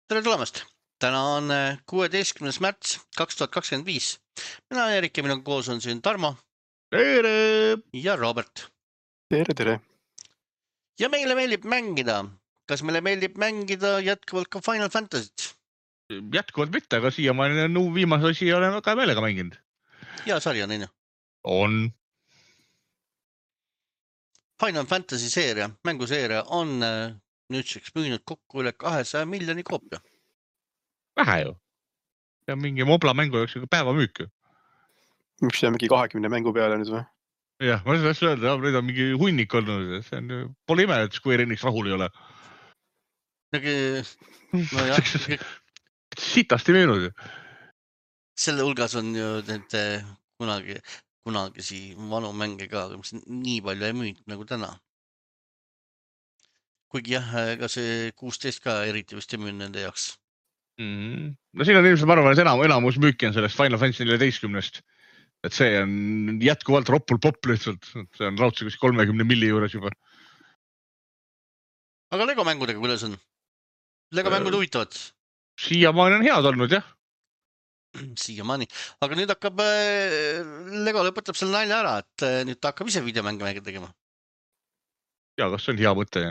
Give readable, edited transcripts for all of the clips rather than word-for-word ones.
Tere tulemast! Täna on 16. märts 2025. Mina olen Erik ja minuga koos on siin Tarmo. Tere! Ja Robert. Tere! Ja meile meeldib mängida. Kas meile meeldib mängida jätkuvalt ka Final Fantasy't? Jätkuvalt mitte, aga siiamaani viimase osi olen väga meelega mänginud. Ja sari on innu. On. Final Fantasy seeria, mänguseeria on nüüdseks müünud kokku üle 200 miljoni koopia. Vähe ju. Ja mingi mobla mängu jooksul päeva müük. Mis see on mingi 20 mängu peale nüüd või? Jah, ma saaks öelda, nüüd on mingi hunnik olnud. See on, pole ime, et Square Enix rahul ei ole. No jah. Sitasti müünud. Selle hulgas on ju need kunagisi vanu mänge ka, mis nii palju ei müünud nagu täna. Kuigi jah, ega see 16 ka eriti vist ei müünud nende jaoks. No siin on ilmselt, ma arvan, et enamus müüki on sellest Final Fantasy 14-st. Et see on jätkuvalt roppul popp lihtsalt. See on raudse 30 milli juures juba. Aga Lego mängudega kuidas on? Lego mängud huvitavad? Siiamaani on head olnud, jah. Siiamaani. Aga nüüd hakkab, Lego lõpetab selle nalja ära, et nüüd ta hakkab ise videomänge tegema. Ja, kas see on hea mõte?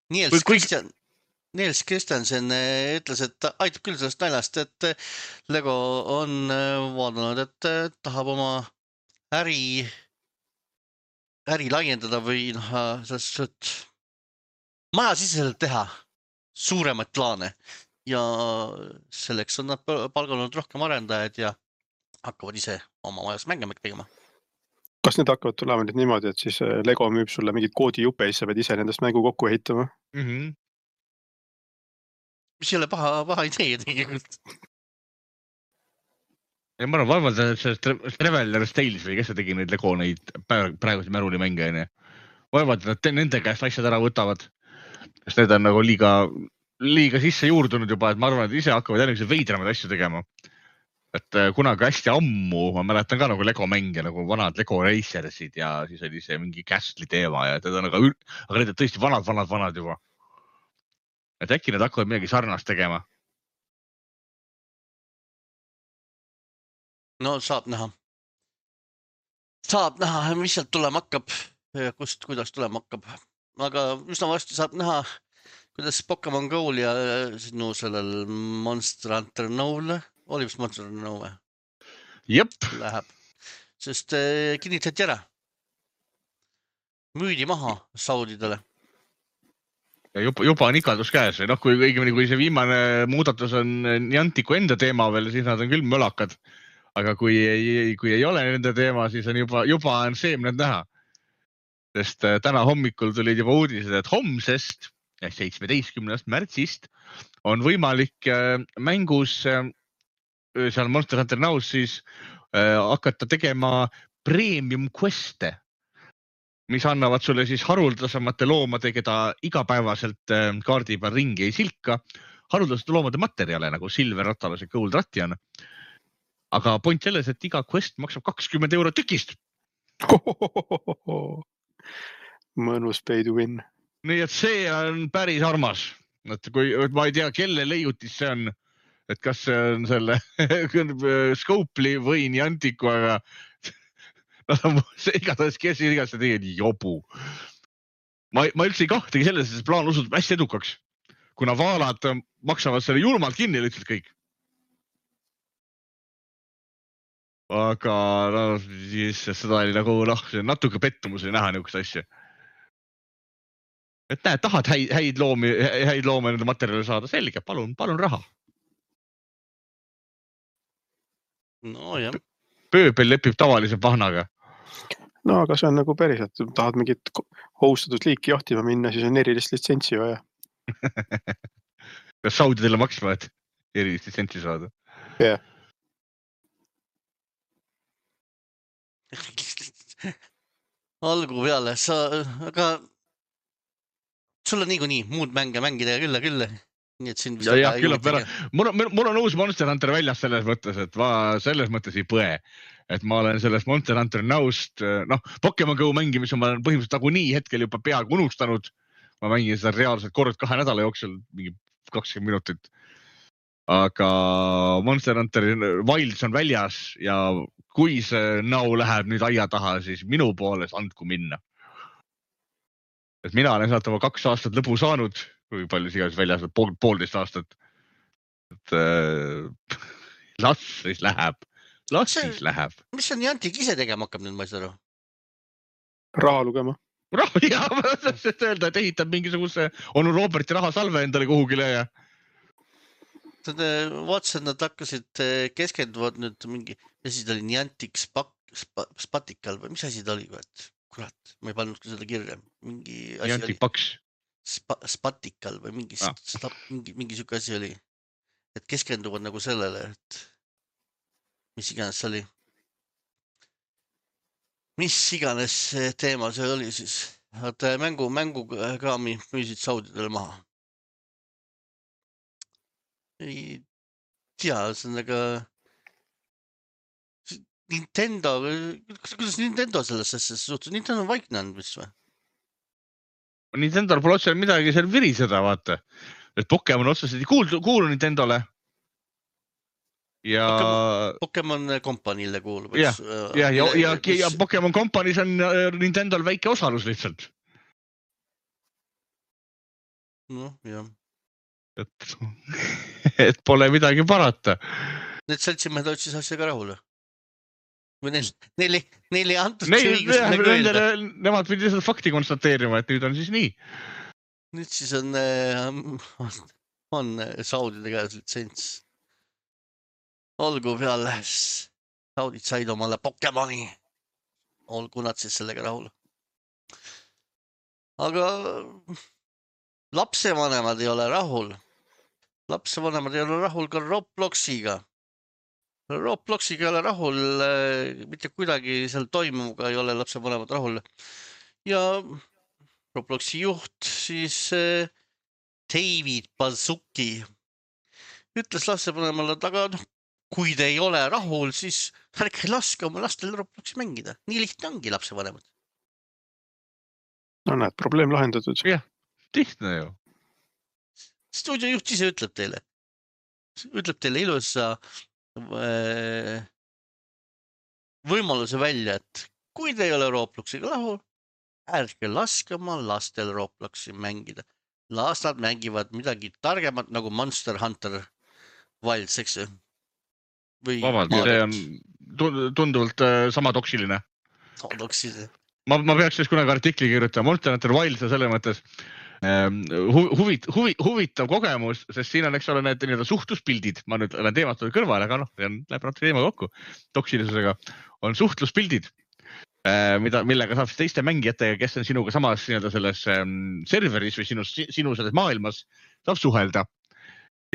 Niels Christiansen ütles, et aitab küll sellest naljast, et Lego on vaadanud, et tahab oma äri laiendada või majasiseselt teha suuremaid plaane ja selleks on nad palganud rohkem arendajad ja hakkavad ise oma majas mänge tegema. Kas need hakkavad tulema nüüd niimoodi, et siis Lego müüb sulle mingid koodijuppe ja sa pead ise nendest mängu kokku ehitama? Mis ei ole paha idee tegelikult. Ja ma arvan, vaevalt sellest Traveler Tales või kes see tegi neid Lego neid praegusi märuli mänge. Vaevalt, et nende käest asjad ära võtavad. Sest need on nagu liiga sisse juurdunud juba, et ma arvan, et ise hakkavad järgmise veidramaid asju tegema. Et kunagi hästi ammu, ma mäletan ka nagu Lego mänge, nagu vanad Lego Racersid ja siis oli see mingi Castle'i teema ja teda on aga need on tõesti vanad juba. Et äkki need hakkavad midagi sarnast tegema. No saab näha, mis sealt tulema hakkab ja kuidas tulema hakkab. Aga üsna varsti saab näha, kuidas Pokemon Go'l ja sinu sellel Monster Hunter No'l oli vist Monster Hunter No või? Jep. Läheb. Sest kinnitati ära. Müüdi maha Saudidele. Ja juba on ikaldus käes. Kui see viimane muudatus on Niantiku enda teema veel, siis nad on küll mölakad. Aga kui ei ole nende teema, siis on juba on seemned näha. Sest täna hommikul tulid juba uudised, et homsest 17. märtsist on võimalik mängus seal Monster Hunter Now's siis hakata tegema premium quest'e, mis annavad sulle siis haruldasemate loomade, keda igapäevaselt kaardi peal ringi ei silka, haruldasete loomade materjale nagu Silver Rattalas ja Gold Rattian. Aga point selles, et iga quest maksab 20 € tükist. Mõnus pay to win. Nii et see on päris armas. Kui ma ei tea, kelle leiutis see on, et kas see on selle Scopely või Niantiku, aga igatahes kes igasse tegid jobu. Ma üldse ei kahtegi selles, et see plaan osutub hästi edukaks, kuna vaalad maksavad selle julmalt kinni lihtsalt kõik. Aga siis seda oli nagu natuke pettumus oli näha niisugust asja. Et näed, tahad häid loomi nende materjali saada, selge, palun raha. No jah. Pööbel lepib tavalise pahnaga. No aga see on nagu päriselt, tahad mingit hostatud liiki jahtima minna, siis on erilist litsentsi vaja. Kas Saudidele maksma, et erilist litsentsi saada? Jah. Algu peale, aga sul on nii muud mänge mängida ja küll. Nii et siin ja küllap ära. Mul on uus Monster Hunter väljas selles mõttes, et selles mõttes ei põe. Et ma olen sellest Monster Hunter Now'st, Pokemon Go mängimise ma olen põhimõtteliselt nagu nii hetkel juba peaaegu unustanud. Ma mängin seda reaalselt kord 2 nädala jooksul, mingi 20 minutit. Aga Monster Hunter Wilds on väljas ja kui see näo läheb nüüd aia taha, siis minu poolest andku minna. Et mina olen sealt oma 2 aastat lõbu saanud, kui palju sigas väljas, 1,5 aastat. Et las siis läheb. Mis on Niantic ise tegema hakkab nüüd, ma ei saa aru? Raha lugema. Ja, ma tahtsin öelda, et ehitab mingisuguse onu Roberti rahasalve endale kuhugile ja... Vaatasin, et nad hakkasid keskenduvad nüüd mingi, mis asi ta oli, Niantic Spatical või mis asi ta oli? Kurat, ma ei pannud ka seda kirja. Mingi asi Niantic Paks. Spatical või mingi siuke asi oli. Et keskenduvad nagu sellele, et mis iganes see oli. Mis iganes teema see oli siis. Et mängukraami müüsid saudidele maha. Ei tea, see on aga Nintendo, kuidas Nintendo sellesse suhtus? Nintendo on vaiknenud, mis või? Nintendo pole otseselt midagi seal viriseda, vaata. Et Pokemon otseselt ei kuulu Nintendole. Ja Pokemon Company'le kuulub. Ja Pokemon Company's on Nintendol väike osalus lihtsalt. No, jah. Et pole midagi parata. Need seltsimehed otsis asjaga rahule. Või neil ei antud see õigus nagu öelda. Nemad pidi seda fakti konstateerima, et nüüd on siis nii. Nüüd siis on saudide käes litsents. Olgu peale, saudid said omale Pokemoni. Olgu nad siis sellega rahul. Aga lapsevanemad ei ole rahul. Lapsevanemad ei ole rahul ka Robloxiga. Robloxiga ei ole rahul, mitte kuidagi seal toimuga ei ole lapsevanemad rahul. Ja Robloxi juht siis David Baszucki ütles lapsevanemale, et aga kui te ei ole rahul, siis ärge laske oma lastel Robloxi mängida. Nii lihtne ongi lapsevanemad. No näed, probleem lahendatud. Jah, lihtne ju. Stuudiojuht ise ütleb teile ilusa võimaluse välja, et kui te ei ole Robloxiga rahul, ärge laske oma lastel Robloxi mängida. Las nad mängivad midagi targemat nagu Monster Hunter Wilds, eks ju? Vabalt, see on tunduvalt sama toksiline. Toksiline. Ma peaks siis kunagi artikli kirjutama. Monster Hunter Wilds on selle mõttes huvitav kogemus, sest siin on, eks ole, need suhtluspildid. Ma nüüd olen teemat kõrvale, aga läheb natuke teema kokku. Toksilisusega on suhtluspildid, millega saab teiste mängijatega, kes on sinuga samas selles serveris või sinu selles maailmas, saab suhelda.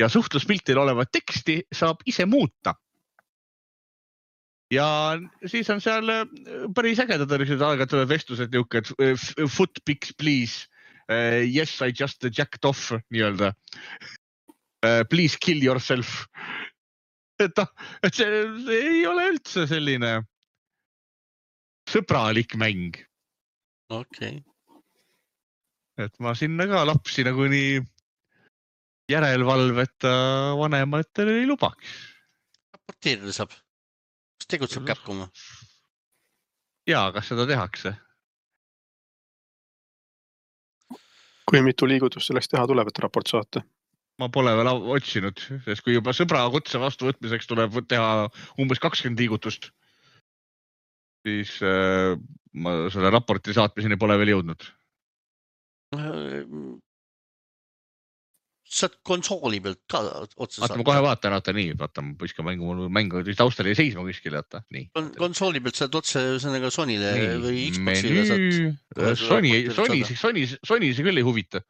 Ja suhtluspiltil olevat teksti saab ise muuta. Ja siis on seal päris ägedad aegadele vestlused niuke, foot pics please. Yes, I just jacked off, nii-öelda. Please kill yourself. Et see ei ole üldse selline sõbralik mäng. Okei. Et ma sinna ka lapsi nagu nii järelvalveta vanematele ei lubaks. Raporteerida saab. Kas tegutseb Capcom? Jaa, kas seda tehakse? Kui mitu liigutust selleks teha tuleb, et raport saata? Ma pole veel otsinud, sest kui juba sõbra kutse vastu võtmiseks tuleb teha umbes 20 liigutust, siis ma selle raporti saatmiseni pole veel jõudnud. Saad konsooli pealt ka otsa saata? Ma kohe vaatan, nii, ma põiskan mängu taustal ei seisma kuskil, nii. Konsooli pealt saad otse Sonyle või Xboxile saad. Sony see küll ei huvita.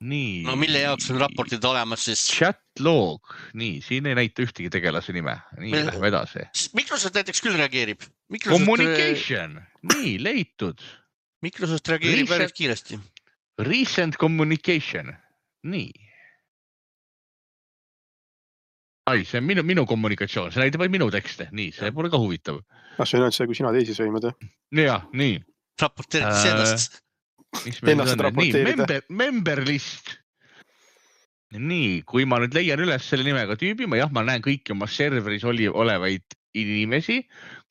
Nii. No mille jaoks on raportid olemas siis? Chat log, nii, siin ei näita ühtegi tegelase nime. Nii, lähme edasi. Microsoft näiteks küll reageerib. Communication, nii, leitud. Microsoft reageerib päris kiiresti. Recent communication. Nii. Ai, see on minu kommunikatsioon, see näitab vaid minu tekste. Nii, see pole ka huvitav. See on ainult see, kui sina teisi sõimad. Jaa, nii. Raporteerid ennast. Ennast raporteerida. Member list. Nii, kui ma nüüd leian üles selle nimega tüübi, ma näen kõiki oma serveris olevaid inimesi.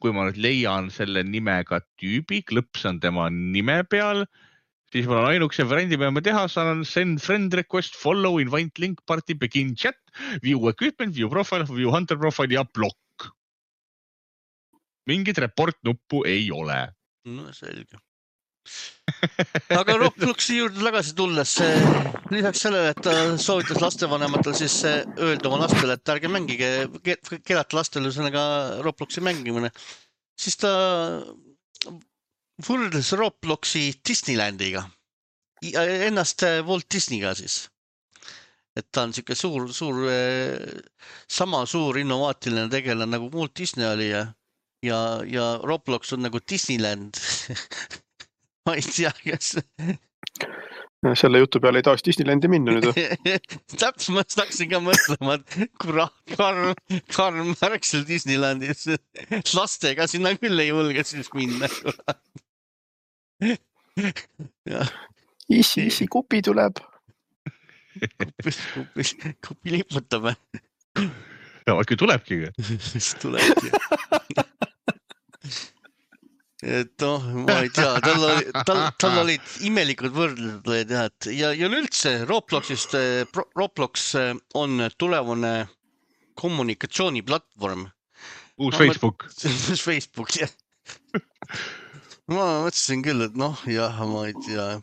Kui ma nüüd leian selle nimega tüübi, klõpsan tema nime peal, siis mul on ainukese variandi, mida ma teha saan, send friend request, follow, invite link, party, begin chat, view equipment, view profile, view hunter profile ja block. Mingit report nuppu ei ole. No selge. Aga Robloxi juurde tagasi tulles, lisaks sellele, et ta soovitas lastevanematel siis öelda oma lastele, et ärge mängige, keelata lastele ühesõnaga Robloxi mängimine, siis ta võrdles Robloxi Disneylandiga, ennast Walt Disneyga siis. Et ta on siuke suur, sama suur innovaatiline tegelane nagu Walt Disney oli ja Roblox on nagu Disneyland. Ma ei tea, kas... Selle jutu peale ei tahaks Disneylandi minna nüüd. Täpselt, ma tahaksin ka mõtlema, et Karm märk seal Disneylandis. Lastega sinna küll ei julge siis minna. Isi, kupi tuleb. Kupi liputame. Ja, kui tulebki. Tulebki. Et noh, ma ei tea, tal olid imelikud võrdlused ja üldse Roblox on tulevane kommunikatsiooniplatvorm. Uus Facebook. Uus Facebook, jah. Ma mõtlesin küll, et noh, jah, ma ei tea.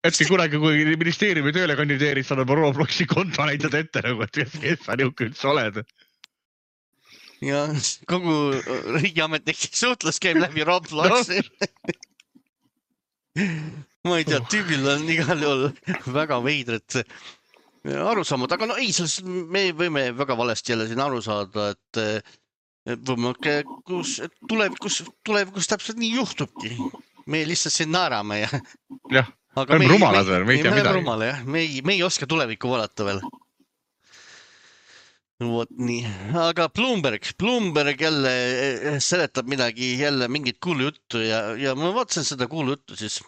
Hetki kunagi, kui ministeeriumi tööle kandideerid, saad oma Robloxi konto näitad ette, nagu, et kes sa niuke üldse oled. Ja kogu riigiametnike suhtlus käib läbi Robloxi. Ma ei tea, tüübil on igal juhul väga veidred arusaamad, aga no ei, me võime väga valesti jälle siin aru saada, et tulevikus täpselt nii juhtubki. Me lihtsalt siin naerame ja... Jah, me rumalad veel, me ei tea midagi. Me ei oska tulevikku vaadata veel. Vot nii, aga Bloomberg jälle seletab midagi, jälle mingit kuulujuttu ja ma vaatasin seda kuulujuttu siis.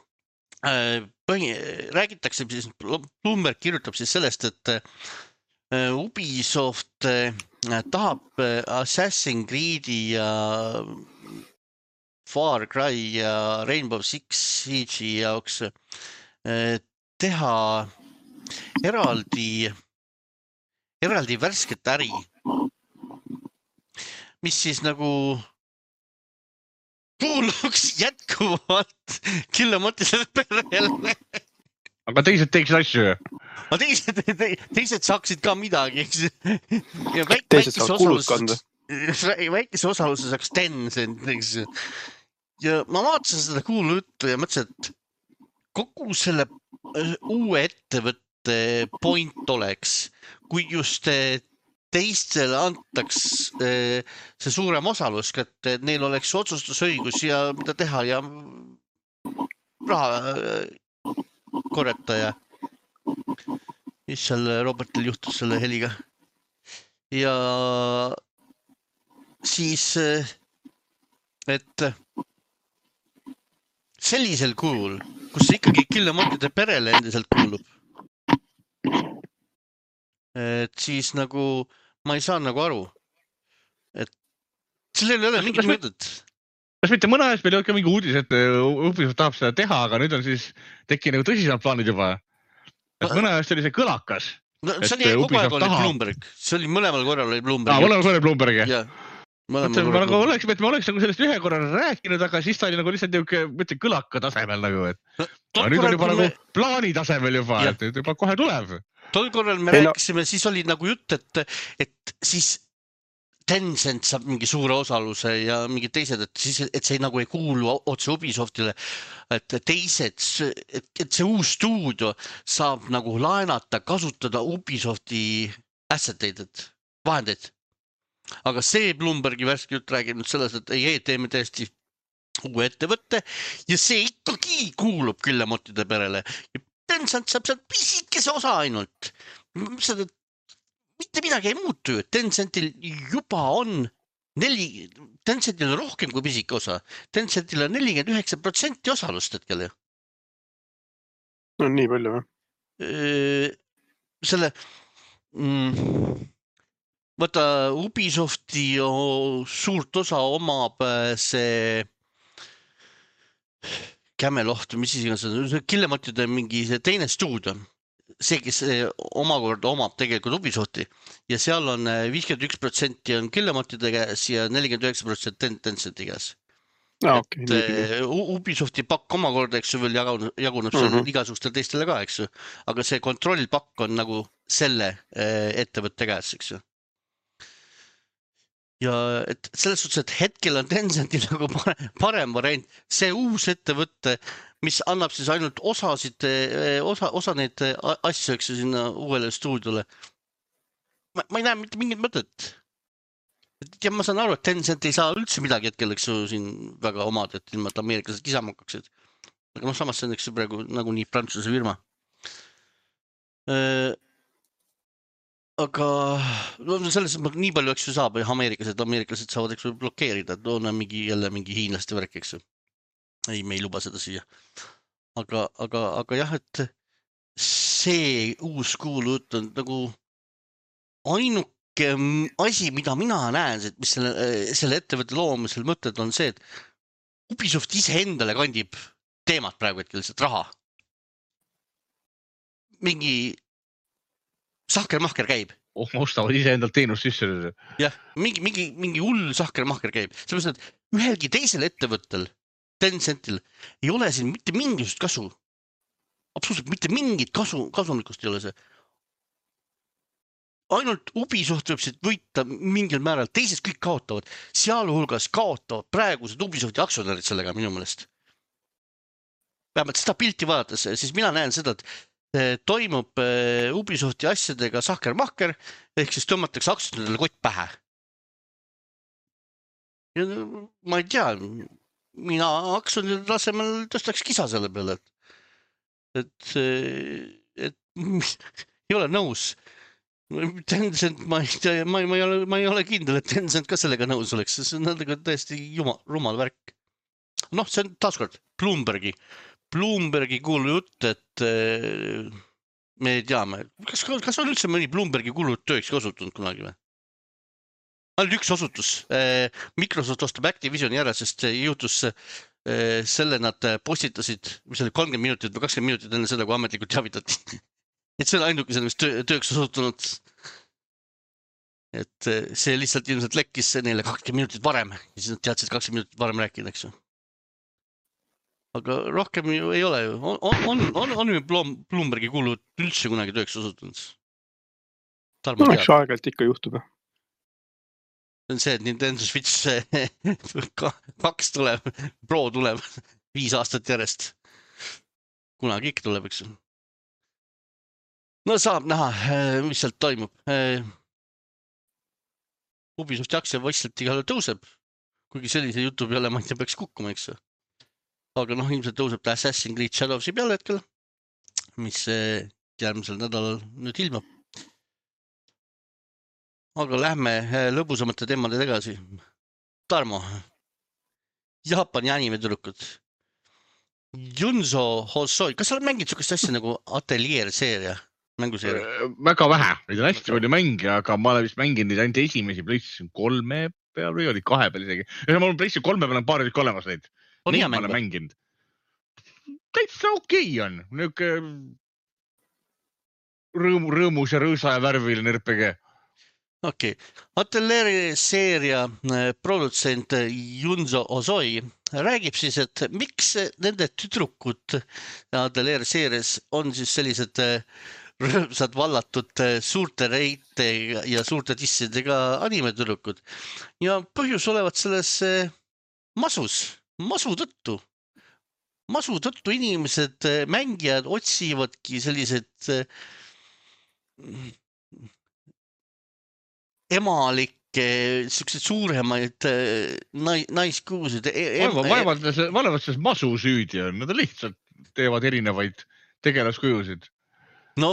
Räägitakse siis, Bloomberg kirjutab siis sellest, et Ubisoft tahab Assassin's Creed'i ja Far Cry ja Rainbow Six Siege'i jaoks teha eraldi värsket äri, mis siis nagu kuuluks jätkuvalt Killemotile perele. Aga teised teeksid asju. Teised saaksid ka midagi. Ja teised saaks kulud kanda. Väikese osaluse saaks Tencent. Ja ma vaatasin seda kuulujuttu ja mõtlesin, et kogu selle uue ettevõtte point oleks, kui just teistele antaks see suurem osalus, et neil oleks otsustusõigus ja mida teha ja raha korjata ja mis seal Robertil juhtus selle heliga. Ja siis, et sellisel kujul, kus ikkagi Killemotide perele endiselt kuulub, et siis nagu ma ei saa nagu aru, et sellel ei ole mingit mõtet. Kas mitte mõne ajast meil ei ole ka mingi uudis, et Ubisoft tahab seda teha, aga nüüd on siis tekkinud nagu tõsisemad plaanid juba. Et mõne ajast oli see kõlakas. No, see oli kogu aeg oli Bloomberg. See oli mõlemal korral oli Bloomberg. Mõlemal korral oli Bloomberg, jah? Me oleks nagu sellest ühe korra rääkinud, aga siis ta oli nagu lihtsalt mõtle kõlaka tasemel nagu, et nüüd on juba nagu plaani tasemel juba, et juba kohe tuleb. Tol korral me rääkisime, siis oli nagu jutt, et siis Tencent saab mingi suure osaluse ja mingid teised, et see nagu ei kuulu otse Ubisoftile, et teised, et see uus stuudio saab nagu laenata, kasutada Ubisofti asseteid, vahendeid. Aga see Bloombergi värske jutt räägib nüüd selles, et ei, teeme tõesti uue ettevõtte ja see ikkagi kuulub Killemotide perele. Ja Tencent saab sealt pisikese osa ainult. Mitte midagi ei muutu, et Tencentil juba on Tencentil on rohkem kui pisike osa. Tencentil on 49% osalust hetkel. No nii palju või? selle vaata Ubisofti suurt osa omab see Camelot, mis siis see Killemotide mingi see teine stuudio, see, kes omakorda omab tegelikult Ubisofti ja seal on 51% on Killemotide käes ja 49% Tencenti käes. Ubisofti pakk omakorda, eks ju, veel jaguneb seal igasugustel teistele ka, eks ju, aga see kontrollpakk on nagu selle ettevõtte käes, eks ju. Ja et selles suhtes, et hetkel on Tencenti nagu parem variant, see uus ettevõtte, mis annab siis ainult osa neid asju, eks ju, sinna uuele stuudiole. Ma ei näe mitte mingit mõtet. Ja ma saan aru, et Tencent ei saa üldse midagi hetkel, eks ju, siin väga omad, et ilma, et ameeriklased kisama hakkaksid. Aga samas see on, eks ju, praegu nagu nii Prantsuse firma. Aga selles nii palju, eks ju, saab ameeriklased saavad, eks ju, blokeerida, et on jälle mingi hiinlaste värk, eks ju. Ei, me ei luba seda siia. Aga jah, et see uus kuulujutt on nagu ainuke asi, mida mina näen, mis selle ettevõtte loomisel mõtted on see, et Ubisoft ise endale kandib teemat praegu hetkel lihtsalt raha. Mingi sahkermahker käib. Ostavad ise endalt teenust sisse. Jah, mingi hull sahkermahker käib. Sellepärast, et ühelgi teisel ettevõttel, Tencentil, ei ole siin mitte mingisugust kasu. Absoluutselt mitte mingit kasumlikkust ei ole see. Ainult Ubisoft võib siit võita mingil määral, teised kõik kaotavad. Sealhulgas kaotavad praegused Ubisofti aktsionärid sellega minu meelest. Vähemalt seda pilti vaadates, siis mina näen seda, et toimub Ubisofti asjadega sahkermahker, ehk siis tõmmatakse aktsionäridele kott pähe. Ja ma ei tea, mina aktsionäride tasemel tõstaks kisa selle peale, et ei ole nõus. Tencent, ma ei ole kindel, et Tencent ka sellega nõus oleks, see on täiesti rumal värk. Noh, see on taaskord Bloombergi kuulujutt, et me teame, kas on üldse mõni Bloombergi kuulujutt tööks osutunud kunagi või? Ainult üks osutus. Microsoft ostab Activisioni ära, sest juhtus selle nad postitasid, mis oli 30 minutit või 20 minutit enne seda, kui ametlikult teavitati. Et see on ainuke sellest tööks osutunud. Et see lihtsalt ilmselt lekkis neile 20 minutit varem. Ja siis nad teadsid 20 minutit varem rääkida, eks ju. Aga rohkem ju ei ole ju. On ju Bloombergi kuulud üldse kunagi tööks osutunud? No, eks aegalt ikka juhtub. See on see, et Nintendo Switch 2 tuleb, Pro tuleb 5 aastat järjest. Kunagi ikka tuleb, eks ju. No saab näha, mis sealt toimub. Ubisofti aktsia võistelt igal tõuseb, kuigi sellise jutu peale ma ei tea, peaks kukkuma, eks. Aga noh, ilmselt tõuseb ta Assassin's Creed Shadowsi peale hetkel, mis järgmisel nädalal nüüd ilmab. Aga lähme lõbusamate teemade tagasi. Tarmo, Jaapani animetüdrukud. Junzo Hosoi, kas sa oled mänginud sukest asja nagu Atelier-seeria? Väga vähe, neid on hästi palju mänge, aga ma olen vist mänginud ainult esimesi PlayStation 3 peal või oli 2 peal isegi. Ja mul on PlayStation 3 peal on paar tükki olemas neid. On hea mäng? Ma olen mänginud. Täitsa okei on. Niuke rõõmus ja rõõsa ja värviline RPG. Okei. Atelieri seeria produtsent Junzo Hosoi räägib siis, et miks nende tüdrukud Atelieri seerias on siis sellised rõõmsad vallatud suurte reite ja suurte tissidega animetüdrukud. Ja põhjus olevat selles masu tõttu. Masu tõttu inimesed, mängijad otsivadki sellised emalikke, sellised suuremaid naiskuusid. Vaevalt selles masu süüdi on, nad lihtsalt teevad erinevaid tegelaskujusid. No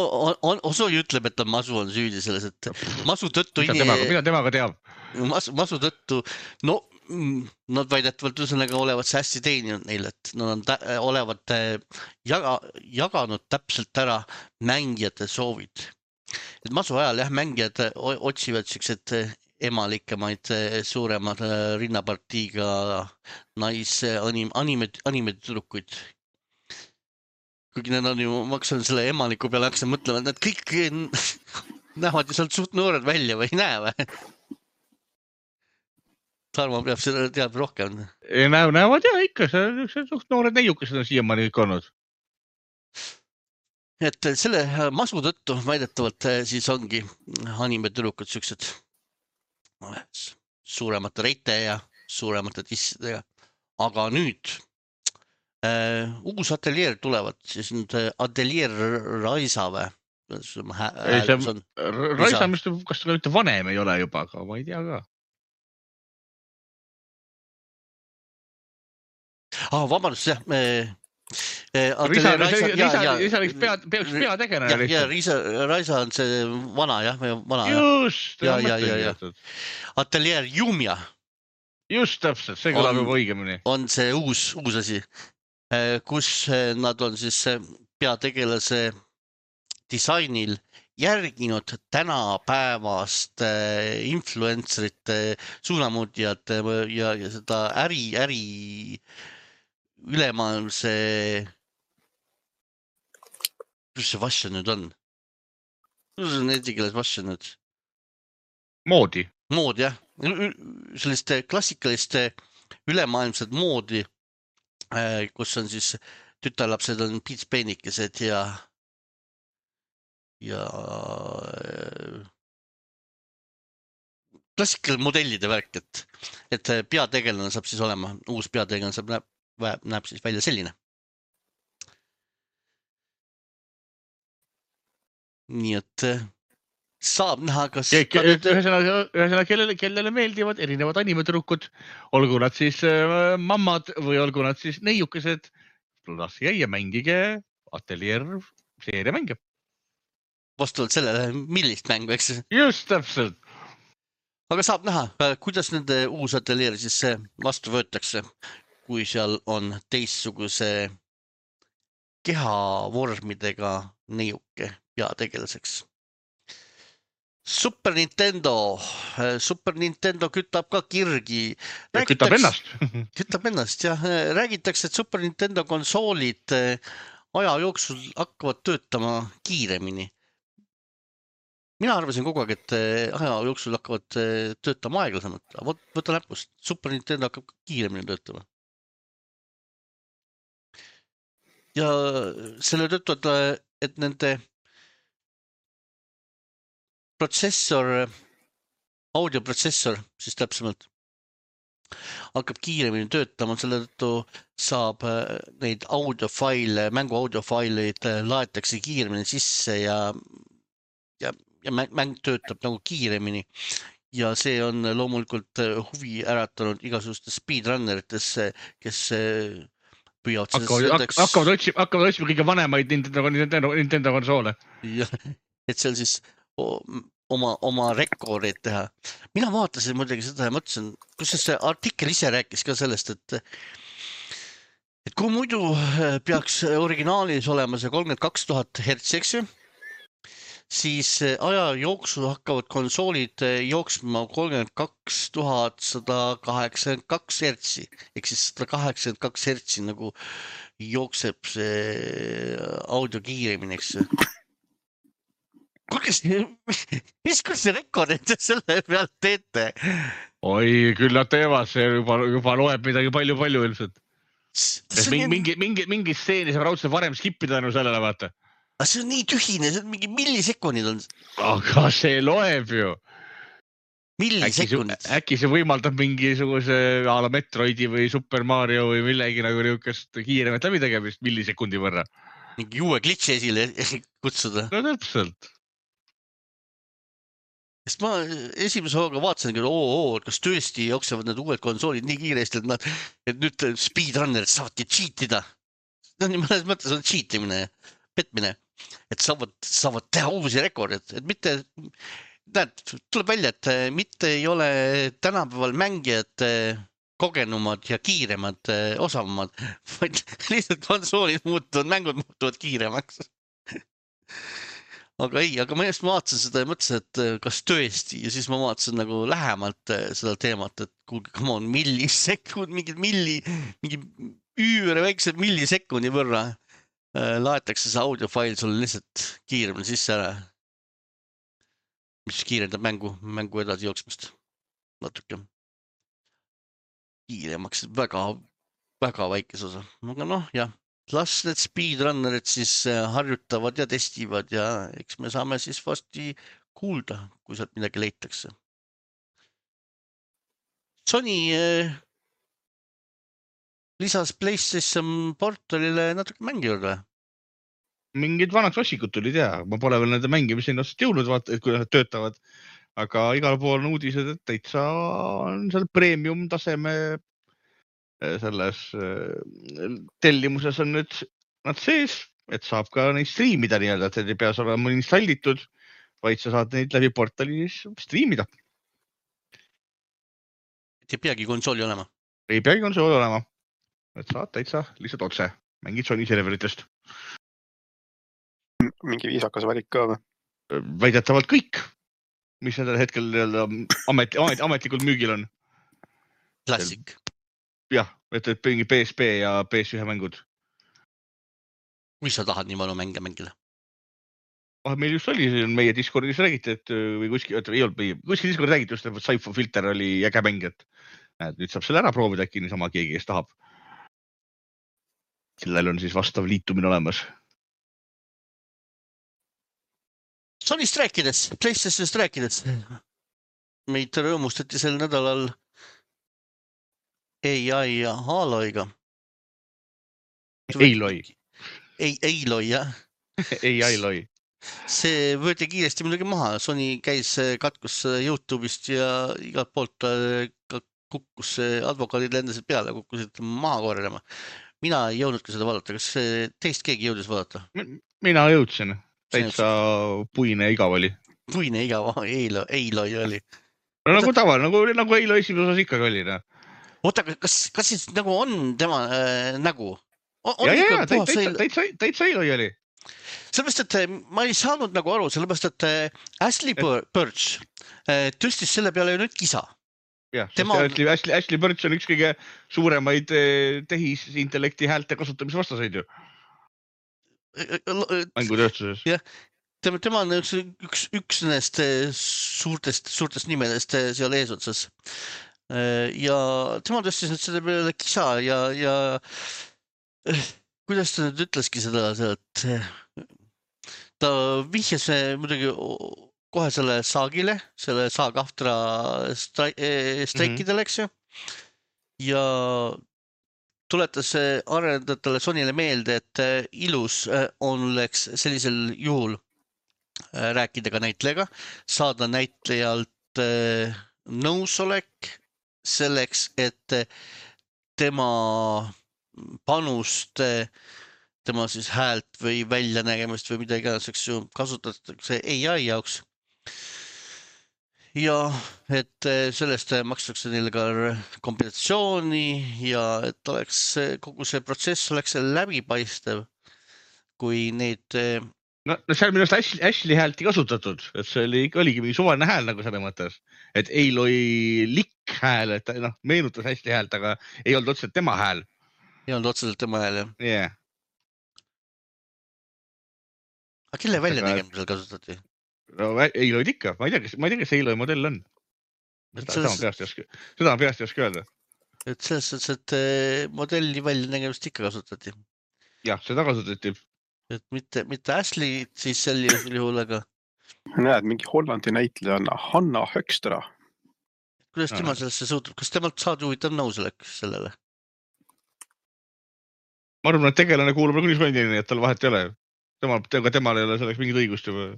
Osoi ütleb, et masu on süüdi selles, et masu tõttu... Mida temaga teab? Masu tõttu, no nad väidetavalt ühesõnaga olevat see hästi teeninud neile, et nad olevat jaganud täpselt ära mängijate soovid. et masu ajal jah, mängijad otsivad siuksed emalikemaid suuremad rinnapartiiga anime tüdrukuid. Kuigi need on ju, ma hakkasin selle emaliku peale hakkasin mõtlema, et need kõik näevad ju sealt suht noored välja või ei näe või? Tarmo peab seda teab rohkem. Näevad jah ikka, see suht noored neiukesed on siiamaani kõik olnud. Et selle masu tõttu väidetavalt siis ongi animetüdrukud siuksed suuremate reite ja suuremate tissidega. Aga nüüd uus ateljeer tulevad, siis nüüd ateljeer Raisa või? Raisa, kas ta mitte vanem ei ole juba, aga ma ei tea ka. Vabandust, jah. Riisa peaks peategelane. Ja Raisa on see vana, jah. Just. Ateljeer Jumia. Just täpselt, see kõlab juba õigemini. On see uus asi, kus nad on siis peategelase disainil järginud tänapäevast influencerite suunamudjad ja seda äri ülemaailmse, kus see vasja nüüd on? Kus on eesti keeles vasja nüüd? Moodi, jah. Sellist klassikalist ülemaailmset moodi, kus on siis tütarlapsed on piitspeenikesed ja klassikaline modellide värk, et peategelane saab siis olema, uus peategelane näeb siis välja selline. Nii et saab näha, kas... Ühesõnaga, kellele meeldivad erinevad animetürukud, olgu nad siis mammad või olgu nad siis neiukesed, laske ja mängige ateljeer seeria mänge. Vastavalt sellele, millist mängu, eks? Just täpselt. Aga saab näha, kuidas nende uus ateljeer siis vastu võetakse, kui seal on teistsuguse kehavormidega neiuke peategelaseks. Super Nintendo kütab ka kirgi. Kütab ennast. Kütab ennast, jah. Räägitakse, et Super Nintendo konsoolid aja jooksul hakkavad töötama kiiremini. Mina arvasin kogu aeg, et aja jooksul hakkavad töötama aeglasemalt. Võta näpust, Super Nintendo hakkab kiiremini töötama. Ja selle tõttu, et nende audioprotsessor, siis täpsemalt, hakkab kiiremini töötama, selle tõttu saab neid mängu audiofaileid laetakse kiiremini sisse ja mäng töötab nagu kiiremini. Ja see on loomulikult huvi äratanud igasugustes speedrunnerites, kes püüavad hakkavad otsima kõige vanemaid Nintendo konsoole. Et seal siis oma rekordeid teha. Mina vaatasin muidugi seda ja mõtlesin, kus see artikkel ise rääkis ka sellest, et kui muidu peaks originaalis olema see 32,000 hertsi, eks ju, siis aja jooksul hakkavad konsoolid jooksma 32,182 hertsi, ehk siis 182 hertsi nagu jookseb see audio kiiremini, eks ju. Mis see rekordid selle pealt teete? Oi, küll nad teevad, see juba loeb midagi palju ilmselt. Mingi stseeni saab raudselt varem skippida tänu sellele, vaata. Aga see on nii tühine, see on mingi millisekundid on. Aga see loeb ju. Millisekundid. Äkki see võimaldab mingisuguse a la Metroidi või Super Mario või millegi nagu niukest kiiremat läbitegemist millisekundi võrra. Mingi uue glitchi esile kutsuda. No täpselt. Sest ma esimese hooga vaatasin, kas tõesti jooksevad need uued konsoolid nii kiiresti, et nüüd speedrunnerid saavadki cheatida. Mõnes mõttes on cheatimine, petmine, et saavad teha uusi rekordid. Et mitte, tuleb välja, et mitte ei ole tänapäeval mängijad kogenumad ja kiiremad, osavamad, vaid lihtsalt konsoolid muutuvad, mängud muutuvad kiiremaks. aga ma just vaatasin seda ja mõtlesin, et kas tõesti ja siis ma vaatasin nagu lähemalt seda teemat, et kuulge, come on, millisekund, mingi üüre väikse millisekundi võrra laetakse see audiofail sulle lihtsalt kiiremini sisse ära. Mis kiirendab mängu edasi jooksmist natuke. Kiiremaks väga väikes osa. Aga jah. Las need speedrunnerid siis harjutavad ja testivad ja eks me saame siis varsti kuulda, kui sealt midagi leitakse. Sony lisas PlayStation portalile natuke mängi juurde. Mingid vanad klassikud tulid ma pole veel nende mängimiseni otsast jõudnud, vaata, et kui nad töötavad. Aga igal pool on uudised, et täitsa on seal premium taseme selles tellimuses on nüüd nad sees, et saab ka neid striimida nii-öelda, et ei peas olema installitud, vaid sa saad neid läbi portali striimida. Et ei peagi konsooli olema. Ei peagi konsooli olema. Et saad täitsa lihtsalt otse. Mängid Sony serveritest. Mingi viisakas valik ka või? Väidetavalt kõik, mis nendel hetkel ametlikult müügil on. Klassik. Jah, et mingi PSP ja PS1 mängud. Kui sa tahad nii palju mänge mängida? Meil just oli, meie Discordis räägiti, et või kuskil Discordis räägiti just, et Cypher Filter oli äge mäng, et nüüd saab selle ära proovida äkki niisama keegi, kes tahab. Sellel on siis vastav liitumine olemas. Sonyst rääkides, PlayStationist rääkides. Meid rõõmustati sel nädalal AI ja Aloiga. Aloy, jah. Aloy. See võeti kiiresti muidugi maha. Sony käis katkus YouTube'ist ja igalt poolt kukkus advokaadid lendasid peale, kukkusid maha korjama. Mina ei jõudnudki seda vaadata. Kas teist keegi jõudis vaadata? Mina jõudsin. Täitsa puine igav oli. Puine igav, Aloy oli. No nagu taval, nagu Aloy esimene osas ikkagi oli. Oota, kas siis nagu on tema nägu? Ja, täitsa Aloy oli. Sellepärast, et ma ei saanud nagu aru, sellepärast, et Ashley Birch tõstis selle peale ju nüüd kisa. Jah, Ashley Birch on üks kõige suuremaid tehisintellekti häälte kasutamise vastaseid ju. Mängutööstuses. Jah, tema on üks nendest suurtest nimedest seal eesotsas. Ja tema tõstis nüüd selle peale kisa ja kuidas ta nüüd ütleski seda, et ta vihjas muidugi kohe selle saagile, selle saagaftra streikidele, eks ju. Ja tuletas arendajatele Sonyle meelde, et ilus oleks sellisel juhul rääkida ka näitlejaga, saada näitlejalt nõusolek selleks, et tema panust, tema siis häält või väljanägemist või mida iganes, eks ju, kasutatakse AI jaoks. Ja et sellest makstakse neile ka kompensatsiooni ja et oleks kogu see protsess oleks läbipaistev, kui neid... No seal minu arust Ashley häält ei kasutatud, et see oligi mingi suvaline hääl nagu selle mõttes, et Aloy likk hääl, et meenutas Ashley häält, aga ei olnud otseselt tema hääl. Ei olnud otseselt tema hääl, jah. Yeah. Aga kelle väljanägemisel kasutati? No Aloy ikka, ma ei tea, kes Aloy modell on. Seda on peast ei oska öelda. Et selles suhtes, et modelli väljanägemist ikka kasutati. Jah, seda kasutati. Et mitte Ashley siis sel juhul, aga... Näed, mingi Hollandi näitleja on Hanna Hökstra. Kuidas tema sellesse suutub? Kas temalt saad huvitav nõusolek sellele? Ma arvan, et tegelane kuulub kunismandini, et tal vahet ei ole. Temal ei ole selleks mingit õigust juba.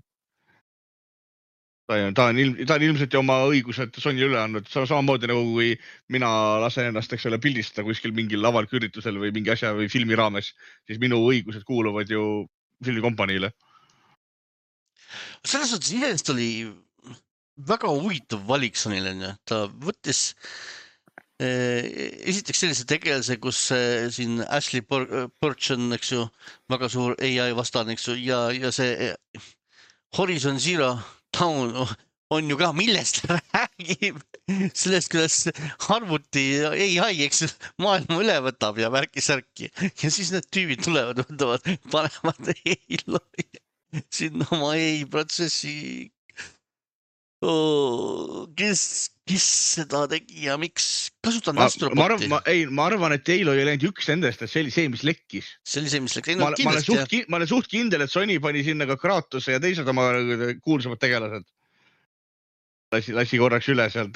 Ta on ilmselt oma õigused Sonyle üle andnud. Samamoodi nagu kui mina lasen ennast pildistada kuskil mingil avaliku üritusel või mingi asja või filmi raames, siis minu õigused kuuluvad ju filmikompaniile. Selles suhtes iseenesest oli väga huvitav valik Sonyle. Ta võttis esiteks sellise tegelase, kus siin Ashley Birch on, eks ju, väga suur AI vastane, eks ju, ja see Horizon Zero Dawn on ju ka, millest räägib sellest, kuidas arvuti AI, eks maailma üle võtab ja värki-särki ja siis need tüübid tulevad, võtavad, panevad AI sinna oma AI protsessi. Kes seda tegi ja miks? Kasutan Astroboti. Ma arvan, et Halo ei läinud üks nendest, et see oli see, mis lekkis. See oli see, mis lekkis. Ma olen suht kindel, et Sony pani sinna ka Kratose ja teised oma kuulsamad tegelased. Lasi korraks üle sealt.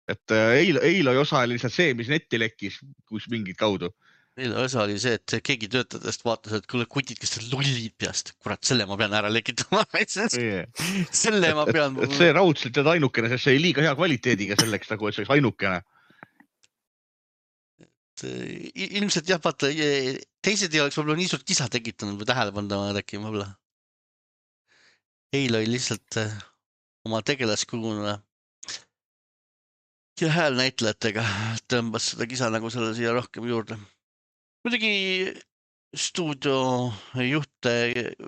Et Halo osa oli lihtsalt see, mis netti lekkis, kus mingid kaudu. Halo osa oli see, et keegi töötajatest vaatas, et kuule kutid, kes te lollid peast. Kurat, selle ma pean ära lekitama. Selle ma pean. Et see raudselt jääd ainukene, sest see oli liiga hea kvaliteediga selleks, nagu et see oleks ainukene. Ilmselt jah, vaata, teised ei oleks võib-olla nii suurt kisa tekitanud või tähelepanu äkki võib-olla. Halo oli lihtsalt oma tegelaskuluna ja häälnäitlejatega tõmbas seda kisa nagu selle siia rohkem juurde. Muidugi stuudio juhte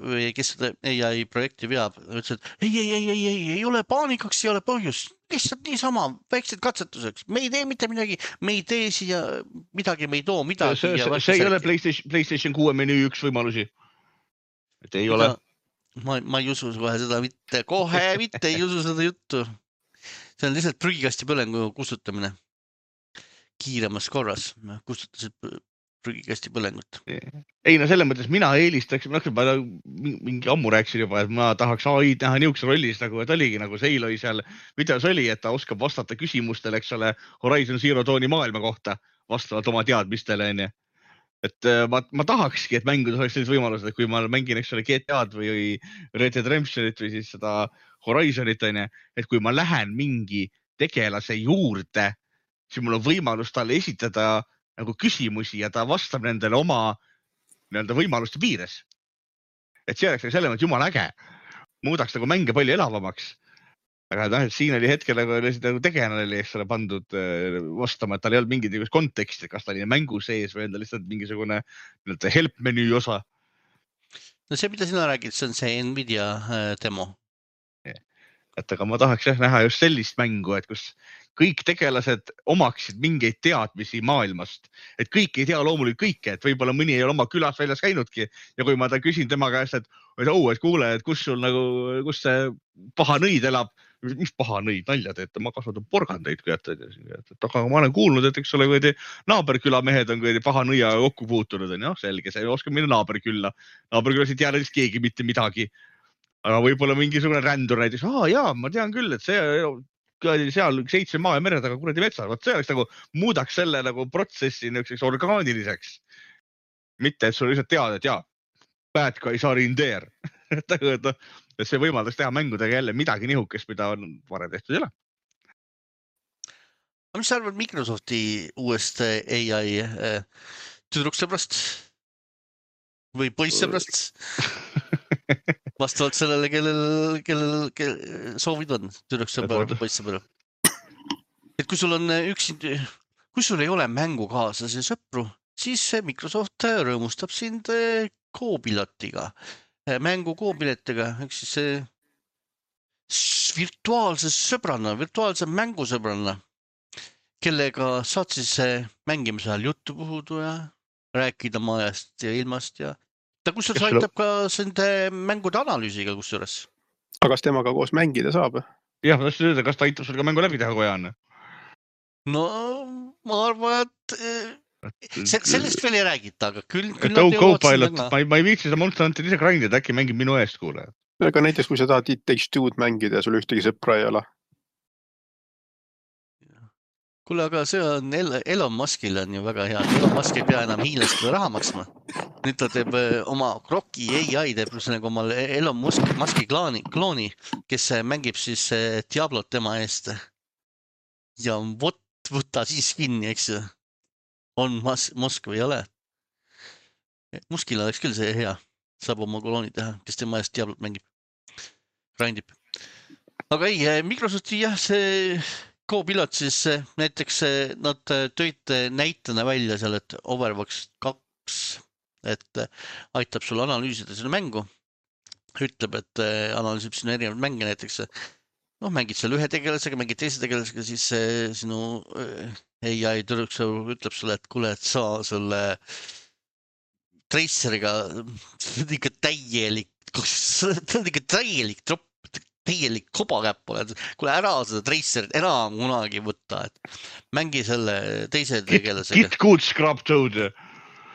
või kes seda AI projekti veab, ütles, et ei ole paanikaks, ei ole põhjus. Lihtsalt niisama, väiksed katsetuseks. Me ei tee mitte midagi, me ei tee siia midagi, me ei too midagi. See ei ole PlayStation 6 menüü üks võimalusi. Et ei ole. Ma ei usu kohe mitte ei usu seda juttu. See on lihtsalt prügikasti põlengu kustutamine. Kiiremas korras kustutasid prügikasti põlengut. Ei, no selles mõttes mina eelistaks, ma mingi ammu rääksin juba, et ma tahaks AI näha niukse rollis, nagu et oligi nagu see Halo seal videos oli, et ta oskab vastata küsimustele, eks ole, Horizon Zero Dawni maailma kohta vastavalt oma teadmistele, on ju. Et ma tahakski, et mängudes oleks sellised võimalused, et kui ma mängin, eks ole, GTA-d või Red Dead Redemptionit või siis seda Horizonit, on ju, et kui ma lähen mingi tegelase juurde, siis mul on võimalus talle esitada nagu küsimusi ja ta vastab nendele oma võimaluste piires. Et see oleks selle mõttes jumal äge. Muudaks nagu mänge palju elavamaks. Aga siin oli hetkel nagu tegelane oli, eks ole, pandud vastama, et tal ei olnud mingit konteksti, kas ta oli mängu sees või enda lihtsalt mingisugune help menüü osa. No see, mida sina räägid, see on see Nvidia demo. Et aga ma tahaks näha just sellist mängu, et kus kõik tegelased omaksid mingeid teadmisi maailmast. Et kõik ei tea loomulikult kõike, et võib-olla mõni ei ole oma külas väljas käinudki. Ja kui ma ta küsin tema käest, et kuule, et kus sul nagu, kus see paha nõid elab, mis paha nõid, nalja teete, ma kasvatan porgandeid, aga ma olen kuulnud, et eks ole, kui naaberküla mehed on paha nõia kokku puutunud, on selge, see ei oska minna naaberkülla. Naaberkülas ei tea näiteks keegi mitte midagi. Aga võib-olla mingisugune rändur näiteks, jaa, ma tean küll, et see seal 7 maa ja mere taga kuradi metsas, see oleks nagu muudaks selle nagu protsessi niiseks orgaaniliseks. Mitte, et sul lihtsalt tead, et bad guys are in there. Et see võimaldaks teha mängudega jälle midagi nihukest, mida on varem tehtud ei ole. Mis sa arvad Microsofti uuest AI tüdruksõbrast või poissõbrast? Vastavalt sellele, kellel soovid on, tüdruksõbra või poissõbra. Et kui sul on kui sul ei ole mängukaaslasi sõpru, siis Microsoft rõõmustab sind Copilotiga, mängu Copiletiga, ehk siis virtuaalse sõbranna, virtuaalse mängusõbranna, kellega saad siis mängimise ajal juttu puhudu ja rääkida majast ja ilmast ja ta kusjuures aitab ka sende mängude analüüsiga kusjuures. Aga kas temaga koos mängida saab? Jah, ma tahtsin öelda, kas ta aitab sul ka mängu läbi teha, kui on? No, ma arvan, et sellest veel ei räägita, aga küll ma ei viitsi seda Monster Hunter ise grindida, äkki mängib minu eest, kuule. Aga näiteks, kui sa tahad It Takes Two'd mängida ja sul ühtegi sõpra ei ole. Kuule, aga see on Elon Muskil on ju väga hea. Elon Musk ei pea enam hiinlastele raha maksma. Nüüd ta teeb oma Grokki AI, teeb nagu oma Elon Muski klooni, kes mängib siis Diablot tema eest. Ja võtta siis kinni, eks ju. On Musk või ei ole. Muskil oleks küll see hea. Saab oma klooni teha, kes tema eest Diablot mängib. Grindib. Aga ei, Microsofti jah, see Copilot siis näiteks nad tõid näitena välja seal, et Overwatch 2, et aitab sul analüüsida selle mängu. ütleb, et analüüsib sinu erinevaid mänge näiteks. Noh, mängid seal ühe tegelasega, mängid teise tegelasega, siis sinu AI tüdruksõu ütleb sulle, et kuule, et sa selle Traceriga ikka täielik, tropp, täielik kobakäpp oled. Kuule, ära seda Tracerit enam kunagi võtta, et mängi selle teise tegelasega. Get good scrub toad.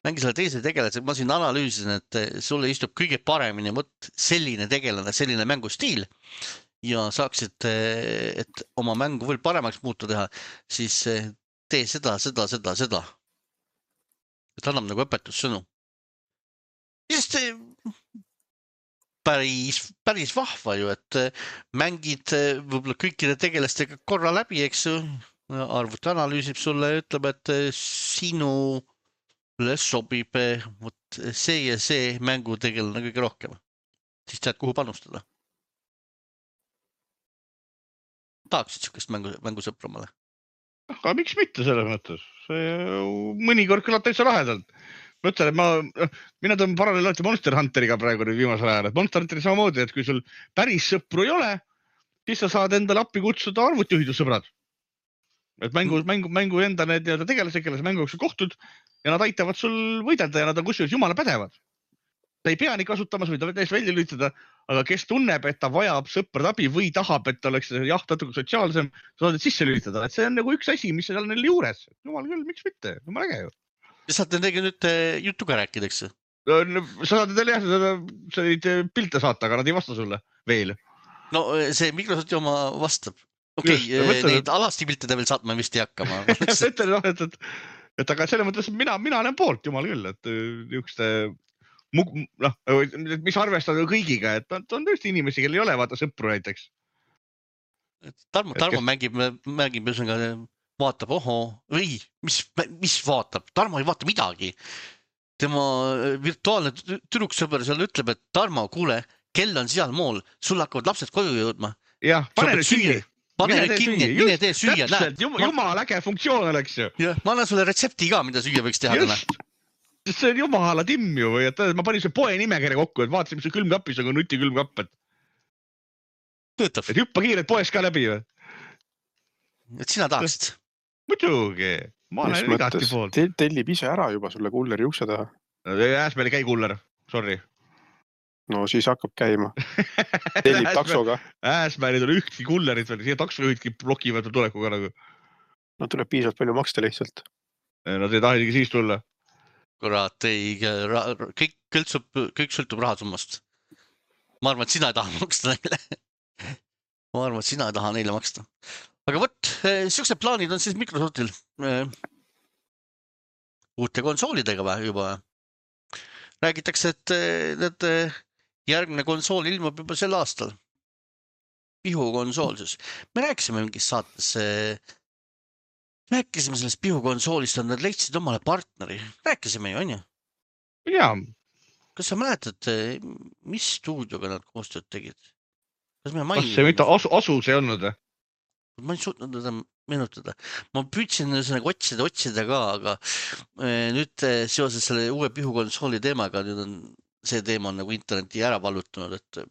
Mängi selle teise tegelasega. Ma siin analüüsin, et sulle istub kõige paremini selline tegelane, selline mängustiil ja saaksid, et oma mängu veel paremaks muuta teha, siis tee seda. Et annab nagu õpetussõnu. Sest päris vahva ju, et mängid võib-olla kõikide tegelastega korra läbi, eks ju, arvuti analüüsib sulle ja ütleb, et sinule sobib see ja see mängutegelane kõige rohkem. Siis tead, kuhu panustada. Tahaksid sihukest mängusõpramale? Aga miks mitte selles mõttes? Mõnikord kõlab täitsa lahedalt. Ma ütlen, et mina tõmban paralleel alati Monster Hunteriga praegu nüüd viimasel ajal. Et Monster Hunteri samamoodi, et kui sul päris sõpru ei ole, siis sa saad endale appi kutsuda arvutijuhitud sõbrad. Et mängu enda need tegelased, kelle sa mängu jooksul kohtud ja nad aitavad sul võidelda ja nad on kusjuures jumala pädevad. Ta ei pea nii kasutama, sa võid täiesti välja lülitada, aga kes tunneb, et ta vajab sõprade abi või tahab, et ta oleks natuke sotsiaalsem, sa saad sisse lülitada. Et see on nagu üks asi, mis seal neil juures. Jumal küll, miks mitte? Jumal äge ju. Ja saad nendega nüüd jutuga rääkida, eks? Sa saad neid pilte saata, aga nad ei vasta sulle veel. No see Microsofti oma vastab. Okei, neid alasti pilte ta veel saatma vist ei hakka. Et aga selle mõttes mina olen poolt, jumal küll, et niisuguste mis arvestada kõigiga, et on tõesti inimesi, kel ei ole vaata sõpru näiteks. Tarmo mängib vaatab, või mis vaatab? Tarmo ei vaata midagi. Tema virtuaalne tüdruksõber seal ütleb, et Tarmo, kuule, kell on seal mool, sul hakkavad lapsed koju jõudma. Jah, pane nüüd kinni. Pane nüüd kinni, mine tee süüa. Täpselt, jumal äge funktsioon oleks ju. Ma annan sulle retsepti ka, mida süüa võiks teha. Just, see on jumala timm ju. Ma panin see poe nimekirja kokku, et vaatasin, mis see külmkappis on, nuti külmkapp. Töötab. Et hüppa kiired poes ka läbi või? Et sina tahaksid? Muidugi, ma olen igati poolt. Tellib ise ära juba sulle kulleri ukse taha. Ääsmäel ei käi kuller, sorry. No siis hakkab käima. Tellib taksoga. Ääsmäel ei tule ühtki kullerit veel, siia taksojuhidki blokivad tulekuga nagu. No tuleb piisavalt palju maksta lihtsalt. Nad ei taha isegi siis tulla. Kurat, kõik sõltub rahasummast. Ma arvan, et sina ei taha maksta neile. Ma arvan, et sina ei taha neile maksta. Aga võt, siuksed plaanid on siis Microsoftil uute konsoolidega juba. Räägitakse, et need järgmine konsool ilmub juba sel aastal. Pihukonsool siis. Me rääkisime mingis saates, rääkisime sellest pihukonsoolist, nad leidsid omale partneri. Rääkisime ju, on ju? Jaa. Kas sa mäletad, mis stuudioga nad koostööd tegid? Kas see mitte asus ei olnud? Ma ei suutnud teda meenutada. Ma püüdsin otsida ka, aga nüüd seoses selle uue pihukonsooli teemaga, nüüd on see teema nagu interneti ära vallutanud, et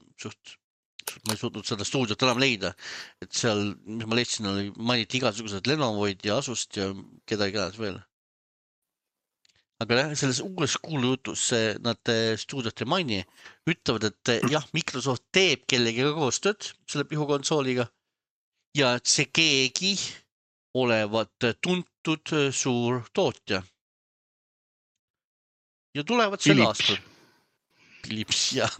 ma ei suutnud seda stuudiot enam leida. Et seal, mis ma leidsin, mainiti igasugused Lenovoid ja Asust ja kedagi veel. Aga selles uues kuulujutus nad stuudiot ei maini, ütlevad, et jah, Microsoft teeb kellegiga koostööd selle pihukonsooliga ja et see keegi olevat tuntud suur tootja. Ja tulevad sel aastal. Philips, jah.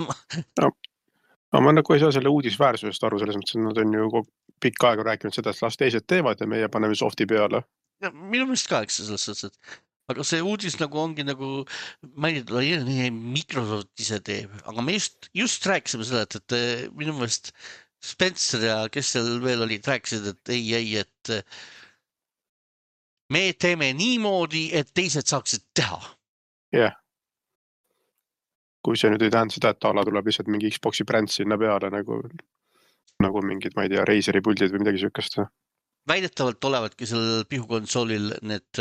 Ma nagu ei saa selle uudisväärsusest aru, selles mõttes, et nad on ju pikka aega rääkinud seda, et las teised teevad ja meie paneme softi peale. Ja, minu meelest ka, eks selles mõttes, et aga see uudis nagu ongi nagu mainitud, Microsoft ise teeb, aga me just rääkisime seda, et minu meelest Spencer ja kes seal veel olid, rääkisid, et ei, et me teeme niimoodi, et teised saaksid teha. Jah. Kui see nüüd ei tähenda seda, et ala tuleb lihtsalt mingi Xboxi bränd sinna peale nagu mingid, ma ei tea, Razeri puldid või midagi sükast. Väidetavalt olevadki sellel pihukonsoolil need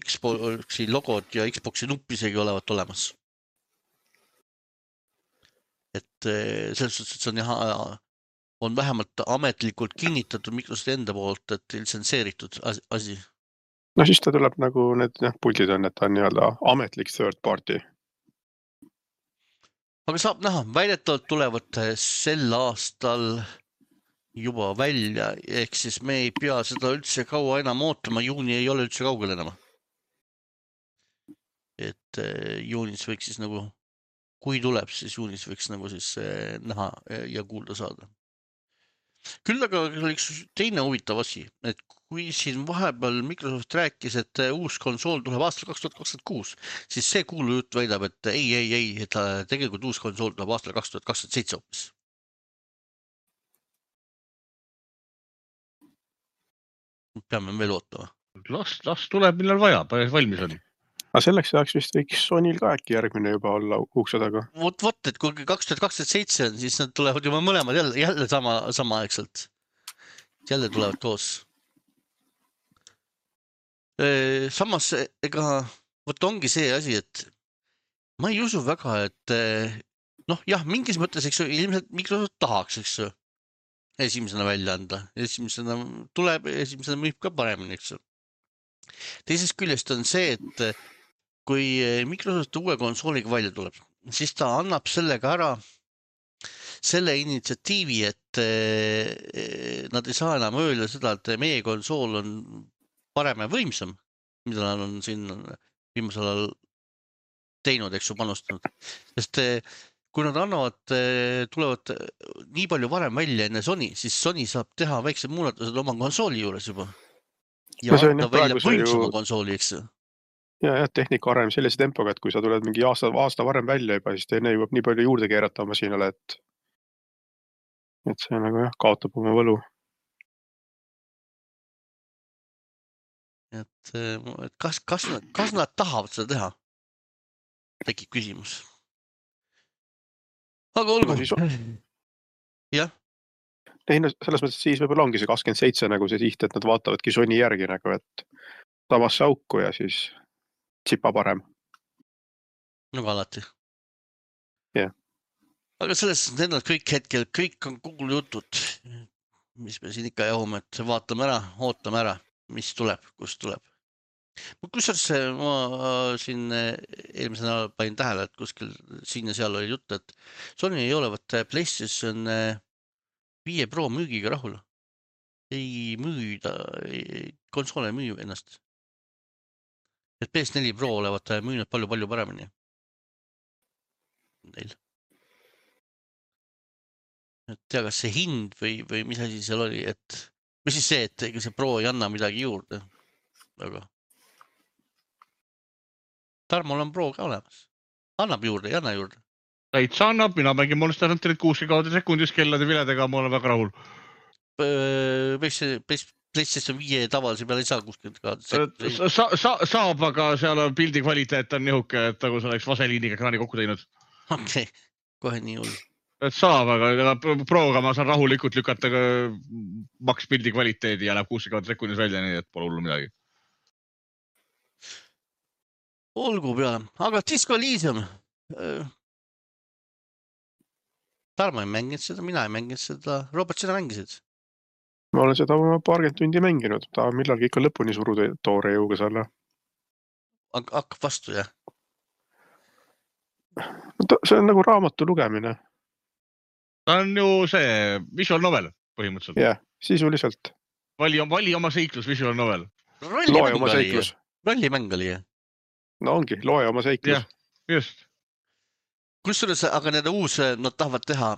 Xboxi logod ja Xboxi nupp isegi olevat olemas. et selles suhtes, et see on on vähemalt ametlikult kinnitatud Microsofti enda poolt, et litsenseeritud asi. No siis ta tuleb nagu need puldid on, et ta on nii-öelda ametlik third party. Aga saab näha, väidetavalt tulevad sel aastal juba välja, ehk siis me ei pea seda üldse kaua enam ootama, juuni ei ole üldse kaugel enam. Et juunis võiks siis nagu, kui tuleb, siis juunis võiks nagu siis näha ja kuulda saada. Küll aga oli üks teine huvitav asi, et kui siin vahepeal Microsoft rääkis, et uus konsool tuleb aastal 2026, siis see kuulujutt väidab, et ei, et tegelikult uus konsool tuleb aastal 2027 hoopis. Peame veel ootama. Las tuleb, millal vaja, päris valmis on. Aga selleks ajaks vist võiks Sonyl ka äkki järgmine juba olla ukse taga. Vot, et kui 2027 on, siis nad tulevad juba mõlemad jälle samaaegselt. Jälle tulevad koos. Samas, ega vot ongi see asi, et ma ei usu väga, et jah, mingis mõttes, eks ju, ilmselt Microsoft tahaks, eks ju, esimesena välja anda. Esimesena tuleb, esimesena müüb ka paremini, eks ju. Teisest küljest on see, et kui Microsoft uue konsooliga välja tuleb, siis ta annab sellega ära selle initsiatiivi, et nad ei saa enam öelda seda, et meie konsool on parem ja võimsam, mida nad on siin viimasel ajal teinud, eks ju, panustanud. Sest kui nad tulevad nii palju varem välja enne Sony, siis Sony saab teha väiksed muudatused oma konsooli juures juba. Ja anda välja võimsama konsooli, eks ju. Ja, tehnika arem sellise tempoga, et kui sa tuled mingi aasta varem välja juba, siis teine jõuab nii palju juurde keerata masinale, et see nagu kaotab oma võlu. Et kas nad tahavad seda teha? Tekib küsimus. Aga olgu. Jah. Selles mõttes siis võib-olla ongi see 27 nagu see siht, et nad vaatavadki Sony järgi nagu, et samasse auku ja siis tsipa parem. Nagu alati. Jah. Aga selles need on kõik hetkel, kõik on kuulujutud, mis me siin ikka jahume, et vaatame ära, ootame ära, mis tuleb, kust tuleb. Kusjuures ma siin eelmisel nädalal panin tähele, et kuskil siin ja seal oli jutt, et Sony ei ole PlayStation 5 Pro müügiga rahul. Ei müüda, konsoole ei müü ennast. Et PS4 Pro olevat müünud palju paremini. Neil. Et tea, kas see hind või mis asi seal oli, et mis siis see, et ega see Pro ei anna midagi juurde. Aga Tarmol on Pro ka olemas. Annab juurde, ei anna juurde. Täitsa annab, mina mängin Monster Hunterit 60 sekundis kellade viledega, ma olen väga rahul. PlayStation 5 tavalise peale ei saa 60 sekundis. Saab, aga seal on pildi kvaliteet on nihuke, et nagu sa oleks vaseliiniga ekraani kokku teinud. Okei, kohe nii hull. Et saab, aga Proga ma saan rahulikult lükata maks pildi kvaliteedi ja läheb 60 sekundis välja, nii et pole hullu midagi. Olgu peale, aga Disco Elysium. Tarmo ei mänginud seda, mina ei mänginud seda. Robert, sina mängisid? Ma olen seda paarkümmend tundi mänginud, ta millalgi ikka lõpuni suruda toore jõuga selle. Hakkab vastu, jah? See on nagu raamatu lugemine. Ta on ju see visual novel põhimõtteliselt. Jah, sisuliselt. Vali oma seiklus, visual novel. Loe oma seiklus. Rollimäng oli, jah? No ongi, loe oma seiklus. Jah, just. Kusjuures, aga nad tahavad teha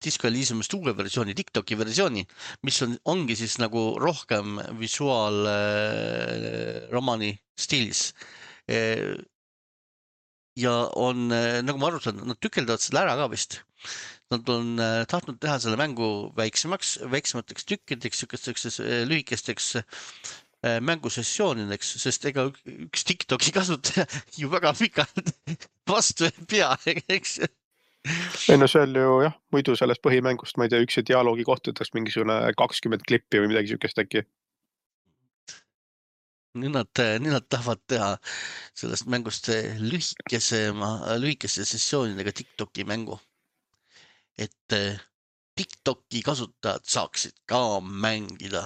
Disco Elysiumist uue versiooni, TikToki versiooni, mis ongi siis nagu rohkem visuaalromani stiilis. Ja on, nagu ma arutan, nad tükeldavad selle ära ka vist. Nad on tahtnud teha selle mängu väiksemateks tükkideks, lühikesteks mängusessioonideks, sest ega üks TikToki kasutaja ju väga pikalt vastu ei pea, eks? Ei no seal ju jah, muidu sellest põhimängust, ma ei tea, üks dialoogi kohtadest mingisugune 20 klippi või midagi sükest äkki. Nüüd nad tahavad teha sellest mängust lühikese sessioonidega TikToki mängu. et TikToki kasutajad saaksid ka mängida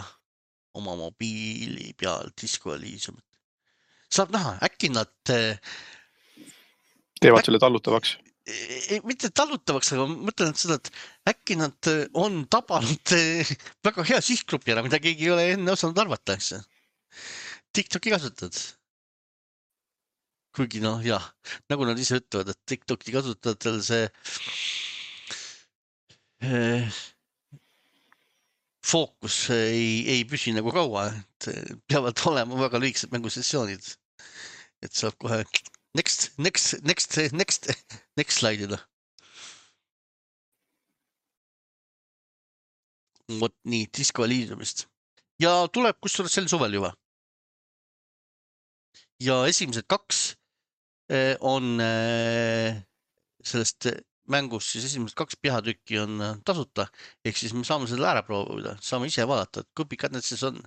oma mobiili peal Disco Elysiumit. Saab näha, äkki nad teevad selle tallutavaks. mitte tallutavaks, aga mõtlen seda, et äkki nad on tabanud väga hea sihtgrupi ära, mida keegi ei ole enne osanud arvata. TikToki kasutad. Kuigi jah, nagu nad ise ütlevad, et TikToki kasutajatel see fookus ei püsi nagu kaua, et peavad olema väga lühikesed mängusessioonid, et saab kohe next slaidida. Vot nii, Disco Elysiumist. Ja tuleb kusjuures sel suvel juba. Ja esimesed 2 on sellest mängust, siis esimesed 2 peatükki on tasuta, ehk siis me saame selle ära proovida, saame ise vaadata, et kui pikad need siis on.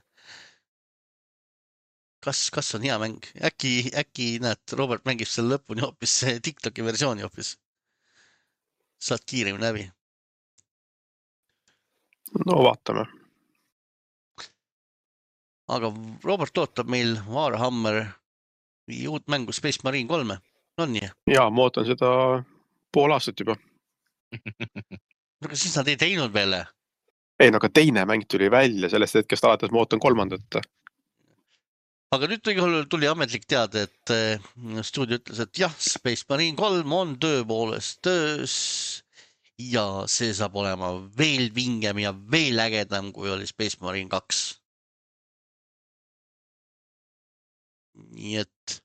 Kas on hea mäng? Äkki näed, Robert mängib selle lõpuni hoopis TikToki versiooni hoopis. Saad kiiremini läbi. No vaatame. Aga Robert ootab meil Warhammer uut mängu Space Marine 3. On nii? Jaa, ma ootan seda pool aastat juba. Aga siis nad ei teinud veel. Ei, aga teine mäng tuli välja sellest hetkest alates, ma ootan 3. Aga nüüd tuli ametlik teade, et stuudio ütles, et jah, Space Marine 3 on tõepoolest töös ja see saab olema veel vingem ja veel ägedam, kui oli Space Marine 2. Nii et,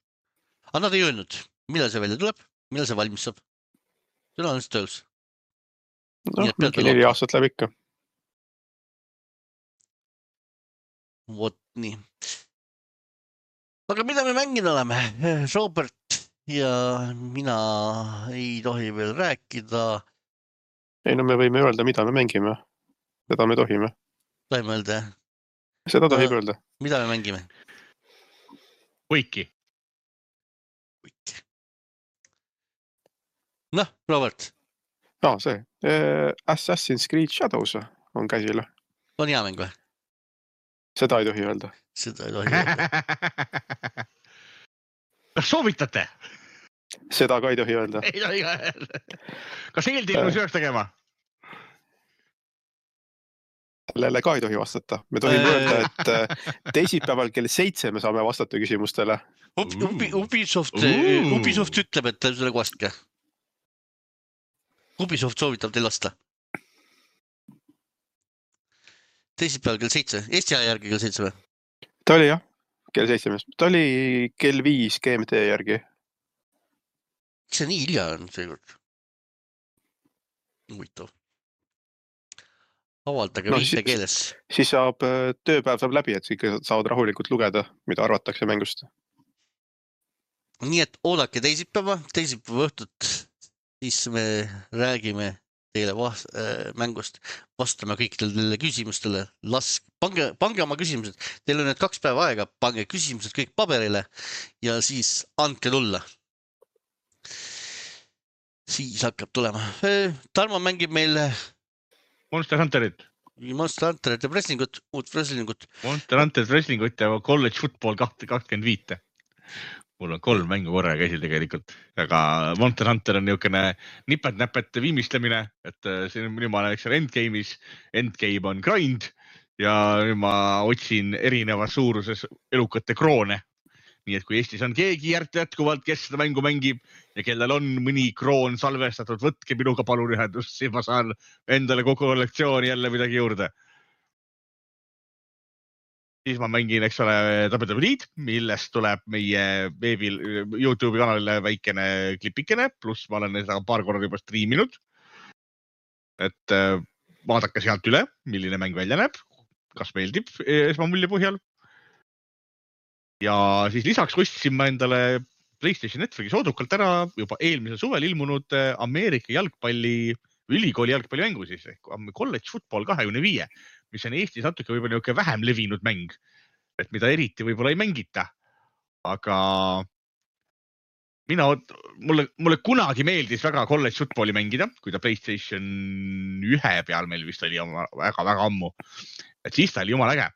aga nad ei öelnud, millal see välja tuleb, millal see valmis saab. See on töös. Mingi 4 aastat läbi ikka. Vot nii. Aga mida me mängida oleme? Robert ja mina ei tohi veel rääkida. Ei, no me võime öelda, mida me mängime. Seda me tohime. Tohime öelda? Seda tohib öelda. Mida me mängime? Võiki. Noh, Robert. No, see. Assassin's Creed Shadows on käsil. On hea mäng või? Seda ei tohi öelda. Seda ei tohi öelda. Kas soovitate? Seda ka ei tohi öelda. Ei tohi öelda. Kas eeltillu sööks tegema? Sellele ka ei tohi vastata. Me tohime öelda, et teisipäeval kell 7 me saame vastata küsimustele. Ubisoft ütleb, et selle vastke. Ubisoft soovitab teil vasta. Teisipäeval kell 7. Eesti aja järgi kell 7 või? Ta oli jah, kell 7. Ta oli kell 5 GMT järgi. Miks see nii hilja on seekord? Huvitav. Avaldage viite keeles. Siis saab, tööpäev saab läbi, et ikka saavad rahulikult lugeda, mida arvatakse mängust. Nii et oodake teisipäeva õhtut, siis me räägime teile mängust, vastame kõikidele küsimustele. Pange oma küsimused. Teil on need 2 päeva aega, pange küsimused kõik paberile ja siis andke tulla. Siis hakkab tulema. Tarmo mängib meil Monster Hunterit ja wrestlingut, uut wrestlingut. Monster Hunter wrestlingut ja College Football 25. Mul on 3 mängu korraga käsil tegelikult, aga Monster Hunter on niisugune nipet-näpet viimistlemine, et nüüd ma olen endgame'is, endgame on grind ja nüüd ma otsin erinevas suuruses elukate kroone. Nii et kui Eestis on keegi jätkuvalt, kes seda mängu mängib ja kellel on mõni kroon salvestatud, võtke minuga palun ühendust, siis ma saan endale kogu kollektsiooni jälle midagi juurde. Siis ma mängin, eks ole, WWE-d, millest tuleb meie veebil YouTube'i kanalile väikene klipikene, pluss ma olen seda paar korda juba striiminud. Et vaadake sealt üle, milline mäng välja näeb, kas meeldib esmamulje põhjal. Ja siis lisaks ostsin ma endale PlayStation Networki soodukalt ära juba eelmisel suvel ilmunud Ameerika ülikooli jalgpallimängu siis, College Football 25, mis on Eestis natuke võib-olla niisugune vähem levinud mäng, et mida eriti võib-olla ei mängita. Aga mulle kunagi meeldis väga college footballi mängida, kui ta PlayStation 1 peal meil vist oli väga ammu. Et siis ta oli jumala äge.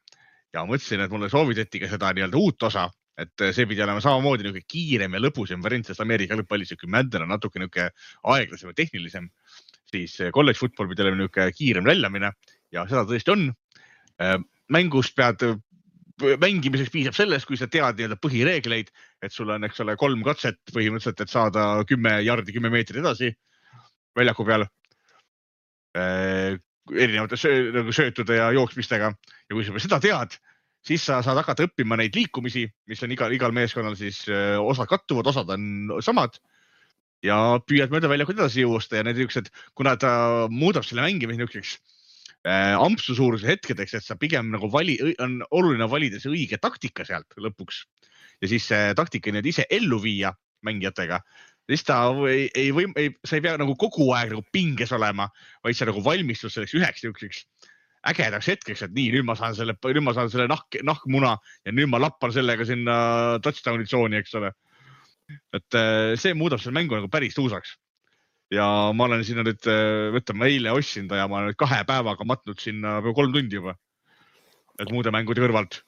Ja mõtlesin, et mulle soovitati ka seda nii-öelda uut osa, et see pidi olema samamoodi niisugune kiirem ja lõbusem variant, sest Ameerika lõppalli niisugune Madden on natuke niisugune aeglasem ja tehnilisem. Siis college football pidi olema niisugune kiirem väljamine ja seda tõesti on. Mängust mängimiseks piisab sellest, kui sa tead nii-öelda põhireegleid, et sul on, eks ole, 3 katset põhimõtteliselt, et saada 10 jardi 10 meetrit edasi väljaku peal erinevate söötude ja jooksmistega. Ja kui sa seda tead, siis sa saad hakata õppima neid liikumisi, mis on igal meeskonnal siis osad kattuvad, osad on samad ja püüad mööda väljakud edasi jõusta ja need niisugused, kuna ta muudab selle mängimise niisuguseks ampsu suuruse hetkedeks, et sa pigem nagu on oluline valida see õige taktika sealt lõpuks ja siis see taktika nüüd ise ellu viia mängijatega. Siis ta sa ei pea nagu kogu aeg nagu pinges olema, vaid sa nagu valmistus selleks üheks niisuguseks ägedaks hetkeks, et nii, nüüd ma saan selle nahkmuna ja nüüd ma lappan sellega sinna touchdowni tsooni, eks ole. Et see muudab selle mängu nagu päris tuusaks. Ja ma olen sinna nüüd, ma eile ostsin ta ja ma olen nüüd 2 päevaga matnud sinna 3 tundi juba. Et muude mängude kõrvalt.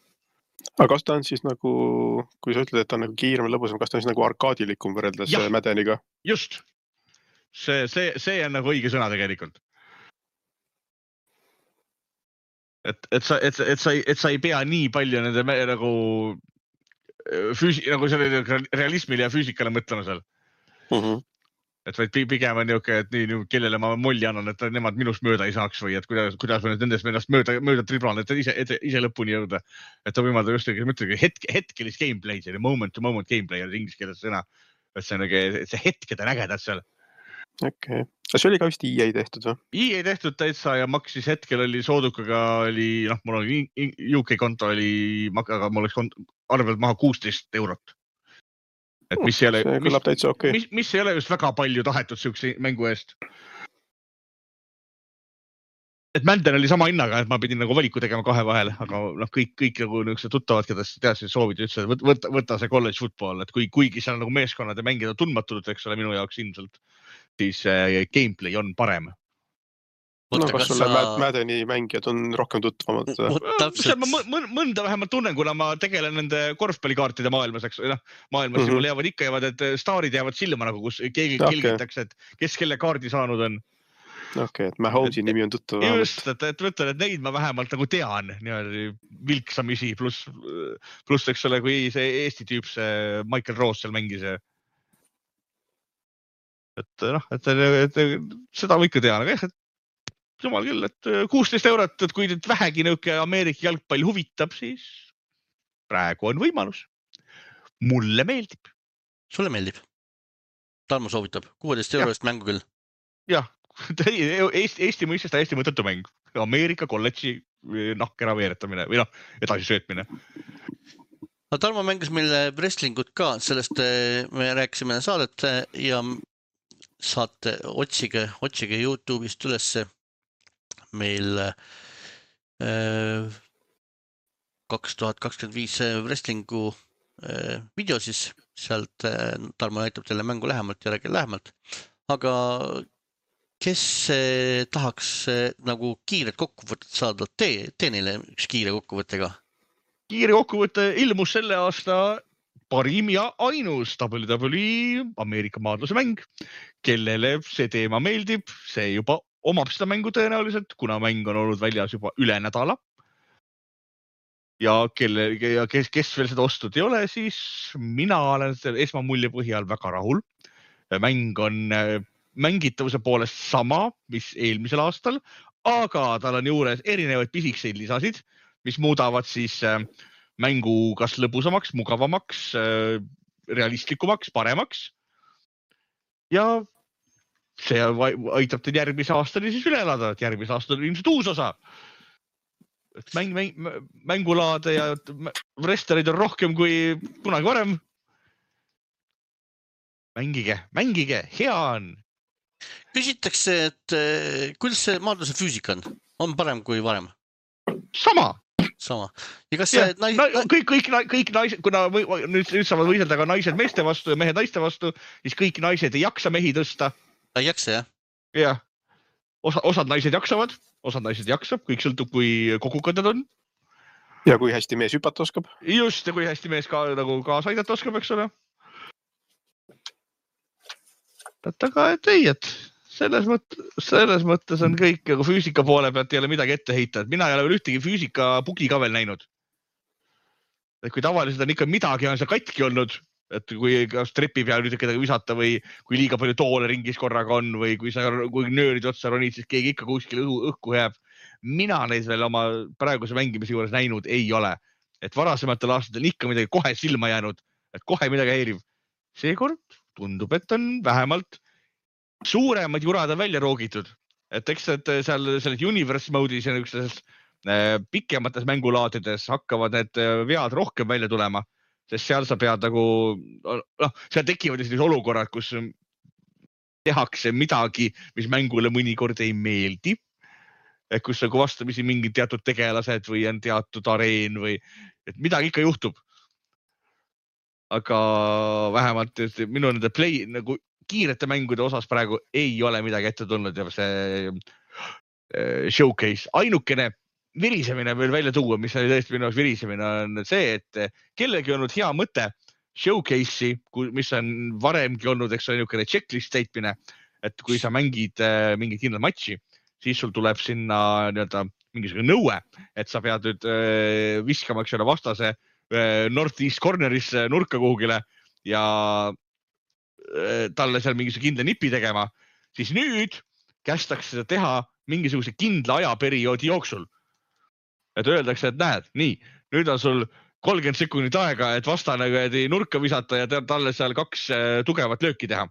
Aga kas ta on siis nagu, kui sa ütled, et ta on nagu kiirem ja lõbusam, kas ta on siis nagu arkaadilikum võrreldes Maddeniga? Just. See on nagu õige sõna tegelikult. Et sa ei pea nii palju nende nagu selle realismile ja füüsikale mõtlema seal. Et vaid pigem on niisugune, et nii, kellele ma molli annan, et nemad minust mööda ei saaks või et kuidas ma nendest ennast mööda triblan, et ise lõpuni jõuda. Et ta võimaldab just hetkelis gameplay, see moment-to-moment gameplay on inglise keeles sõna. Et see hetked on ägedad seal. Okay. See oli ka vist EA tehtud või? EA tehtud täitsa ja maksis hetkel oli soodukaga, mul oli UK konto oli, aga mul oleks arvelt maha 16 €. Et mis ei ole, mis ei ole just väga palju tahetud sihukese mängu eest. Et Madden oli sama hinnaga, et ma pidin nagu valiku tegema 2 vahel, aga kõik nagu niisugused tuttavad, keda teadsid soovid, ütlesid, võta see college football, et kuigi seal nagu meeskonnad ja mängida tundmatud, eks ole, minu jaoks ilmselt, siis gameplay on parem. Kas sulle Maddeni mängijad on rohkem tuttavamad? Mõnda vähemalt tunnen, kuna ma tegelen nende korvpallikaartide maailmas, eks maailmas mul jäävad, et staarid jäävad silma nagu, kus keegi kilgitakse, et kes kelle kaardi saanud on. Okei, et Mahomes'i nimi on tuttav. Just, et võtan, et neid ma vähemalt nagu tean vilksamisi, pluss eks ole, kui see Eesti tüüp, see Michael Roos seal mängis. Et seda ma ikka tean, aga jumal küll, et 16 €, et kui nüüd vähegi nõuke Ameerika jalgpall huvitab, siis praegu on võimalus. Mulle meeldib. Sulle meeldib? Tarmo soovitab 16 € mängu küll. Jah, Eesti mõistes täiesti mõttetu mäng. Ameerika kolledži nahkera veeretamine või edasi söötmine. Tarmo mängis meile wrestlingut ka, sellest me rääkisime saadet ja saate otsige YouTube'ist ülesse meil 2025 wrestlingu video siis, sealt Tarmo näitab teile mängu lähemalt ja räägib lähemalt. Aga kes tahaks nagu kiiret kokkuvõtet saada, tee neile üks kiire kokkuvõttega. Kiire kokkuvõte ilmus selle aasta parim ja ainus WWE Ameerika maadluse mäng. Kellele see teema meeldib, see juba omab seda mängu tõenäoliselt, kuna mäng on olnud väljas juba üle nädala. Ja kes veel seda ostud ei ole, siis mina olen selle esmamulje põhjal väga rahul. Mäng on mängitavuse poolest sama, mis eelmisel aastal, aga tal on juures erinevaid pisikseid lisasid, mis muudavad siis mängu kas lõbusamaks, mugavamaks, realistlikumaks, paremaks. Ja see aitab teid järgmise aastani siis üle elada, et järgmise aasta on ilmselt uus osa. Mängulaade ja wrestlerid on rohkem kui kunagi varem. Mängige, hea on. Küsitakse, et kuidas see maadluse füüsika on? On parem kui varem? Sama. sama. Ja kas Ja, see kõik naised, kuna nüüd saavad võiselda ka naised meeste vastu ja mehed naiste vastu, siis kõik naised ei jaksa mehi tõsta. ei jaksa, jah? Jah. Osad naised jaksavad, osad naised jaksab, kõik sõltub, kui kogukad nad on. Ja kui hästi mees hüpata oskab. Just, ja kui hästi mees ka nagu kaasa aidata oskab, eks ole. Aga et ei, et selles mõttes on kõik, aga füüsika poole pealt ei ole midagi ette heita. Et mina ei ole veel ühtegi füüsika bugi ka veel näinud. Et kui tavaliselt on ikka midagi on see katki olnud, et kui kas trepi peal nüüd kedagi visata või kui liiga palju toole ringis korraga on või kui nöörid otsa ronid, siis keegi ikka kuskil õhku jääb. Mina neid veel oma praeguse mängimise juures näinud ei ole. Et varasematel aastatel ikka midagi kohe silma jäänud, et kohe midagi häirib. Seekord tundub, et on vähemalt suuremad jurad on välja roogitud. Et eks seal selles universe mode'is ja niisugustes pikemates mängulaadides hakkavad need vead rohkem välja tulema, sest seal sa pead nagu, seal tekivad sellised olukorrad, kus tehakse midagi, mis mängule mõnikord ei meeldi. Et kus nagu vastamisi mingid teatud tegelased või on teatud areen või et midagi ikka juhtub. Aga vähemalt minu nende nagu kiirete mängude osas praegu ei ole midagi ette tulnud ja see showcase. Ainukene virisemine veel välja tuua, mis oli tõesti minu jaoks virisemine, on see, et kellegi olnud hea mõte showcase'i, mis on varemgi olnud, eks ole, niisugune checklist täitmine, et kui sa mängid mingit kindlat matši, siis sul tuleb sinna mingisugune nõue, et sa pead nüüd viskama, eks ole, vastase Northeast Cornerisse nurka kuhugile ja talle seal mingisuguse kindla nipi tegema, siis nüüd kästakse seda teha mingisuguse kindla ajaperioodi jooksul. Et öeldakse, et näed, nii, nüüd on sul 30 sekundit aega, et vastane nurka visata ja talle seal 2 tugevat lööki teha.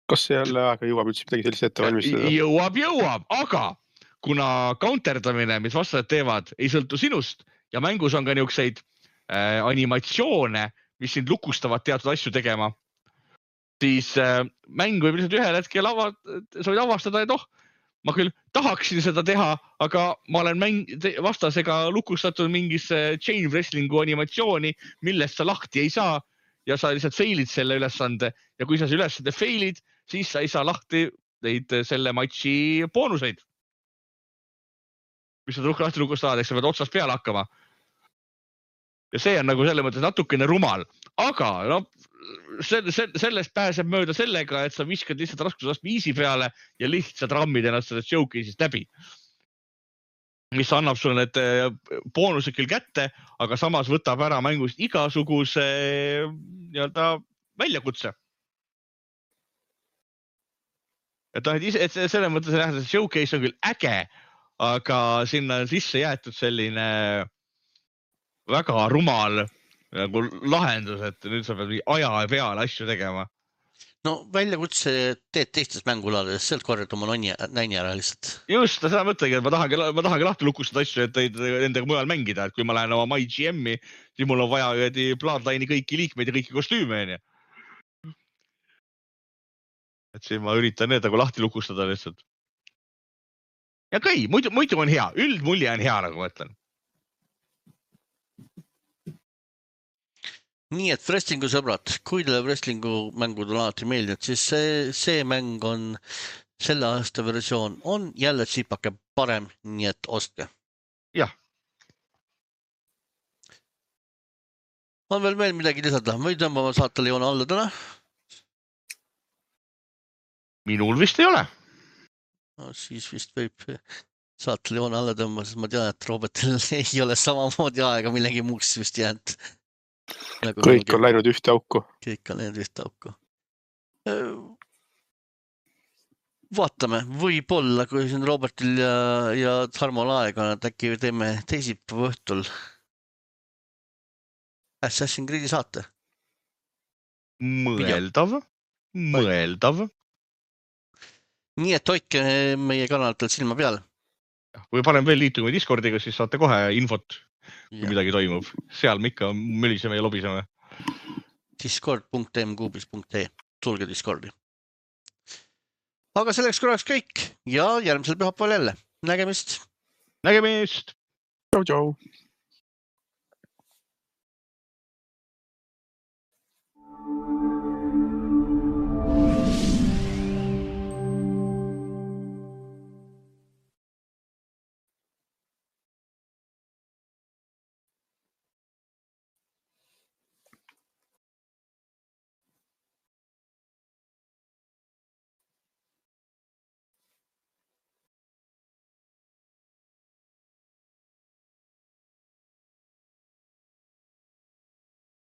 Kas selle aega jõuab üldse midagi sellist ette valmistada? Jõuab, aga kuna counterdamine, mis vastased teevad, ei sõltu sinust ja mängus on ka niisuguseid animatsioone, mis sind lukustavad teatud asju tegema, siis mäng võib lihtsalt ühel hetkel sa võid avastada, et ma küll tahaksin seda teha, aga ma olen vastasega lukustatud mingisse chain wrestlingu animatsiooni, millest sa lahti ei saa ja sa lihtsalt failid selle ülesande ja kui sa ülesande failid, siis sa ei saa lahti neid selle matši boonuseid. Mis sa lahti lukustavad, eks sa pead otsast peale hakkama. Ja see on nagu selle mõttes natukene rumal, aga sellest pääseb mööda sellega, et sa viskad lihtsalt raskusastme easy peale ja lihtsalt rammid ennast sellest showcase'ist läbi. Mis annab sulle need boonused küll kätte, aga samas võtab ära mängust igasuguse väljakutse. Et selle mõttes nähdab, et showcase on küll äge, aga sinna on sisse jäetud selline väga rumal nagu lahendus, et nüüd sa pead aja peale asju tegema. No väljakutse teed teistes mängulades, sealt korjad oma näini ära lihtsalt. Just, seda mõtlegi, et ma tahangi lahti lukustada asju, et nendega mujal mängida, et kui ma lähen oma MyGM-i, siis mul on vaja Bloodline'i kõiki liikmeid ja kõiki kostüüme. Et siin ma üritan need nagu lahti lukustada lihtsalt. Ja kõi, muidu on hea, üldmulje on hea, nagu ma ütlen. Nii et wrestlingu sõbrad, kui teile wrestlingu mängud on alati meeldinud, siis see mäng on, selle aasta versioon on jälle tsipake parem, nii et ostke. Jah. On veel midagi lisada, või tõmbame saatele joone alla täna? Minul vist ei ole. No, siis vist võib saatele joone alla tõmbama, sest ma tean, et Robertil ei ole samamoodi aega millegi muuks vist jäänud. Kõik on läinud ühte auku. Kõik on läinud ühte auku. Vaatame, võib-olla, kui siin Robertil ja Tarmol aega on, et äkki teeme teisipäeva õhtul Assassin's Creed'i saate. Mõeldav. Nii et hoidke meie kanalitel silma peal. Või panen veel liituma Discordiga, siis saate kohe infot. Kui midagi toimub. Seal me ikka möliseme ja lobiseme. Discord.mkuubis.ee. Tulge Discordi. Aga selleks korraks kõik ja järgmisel pühapäeval jälle. Nägemist! Tšau. nägemist .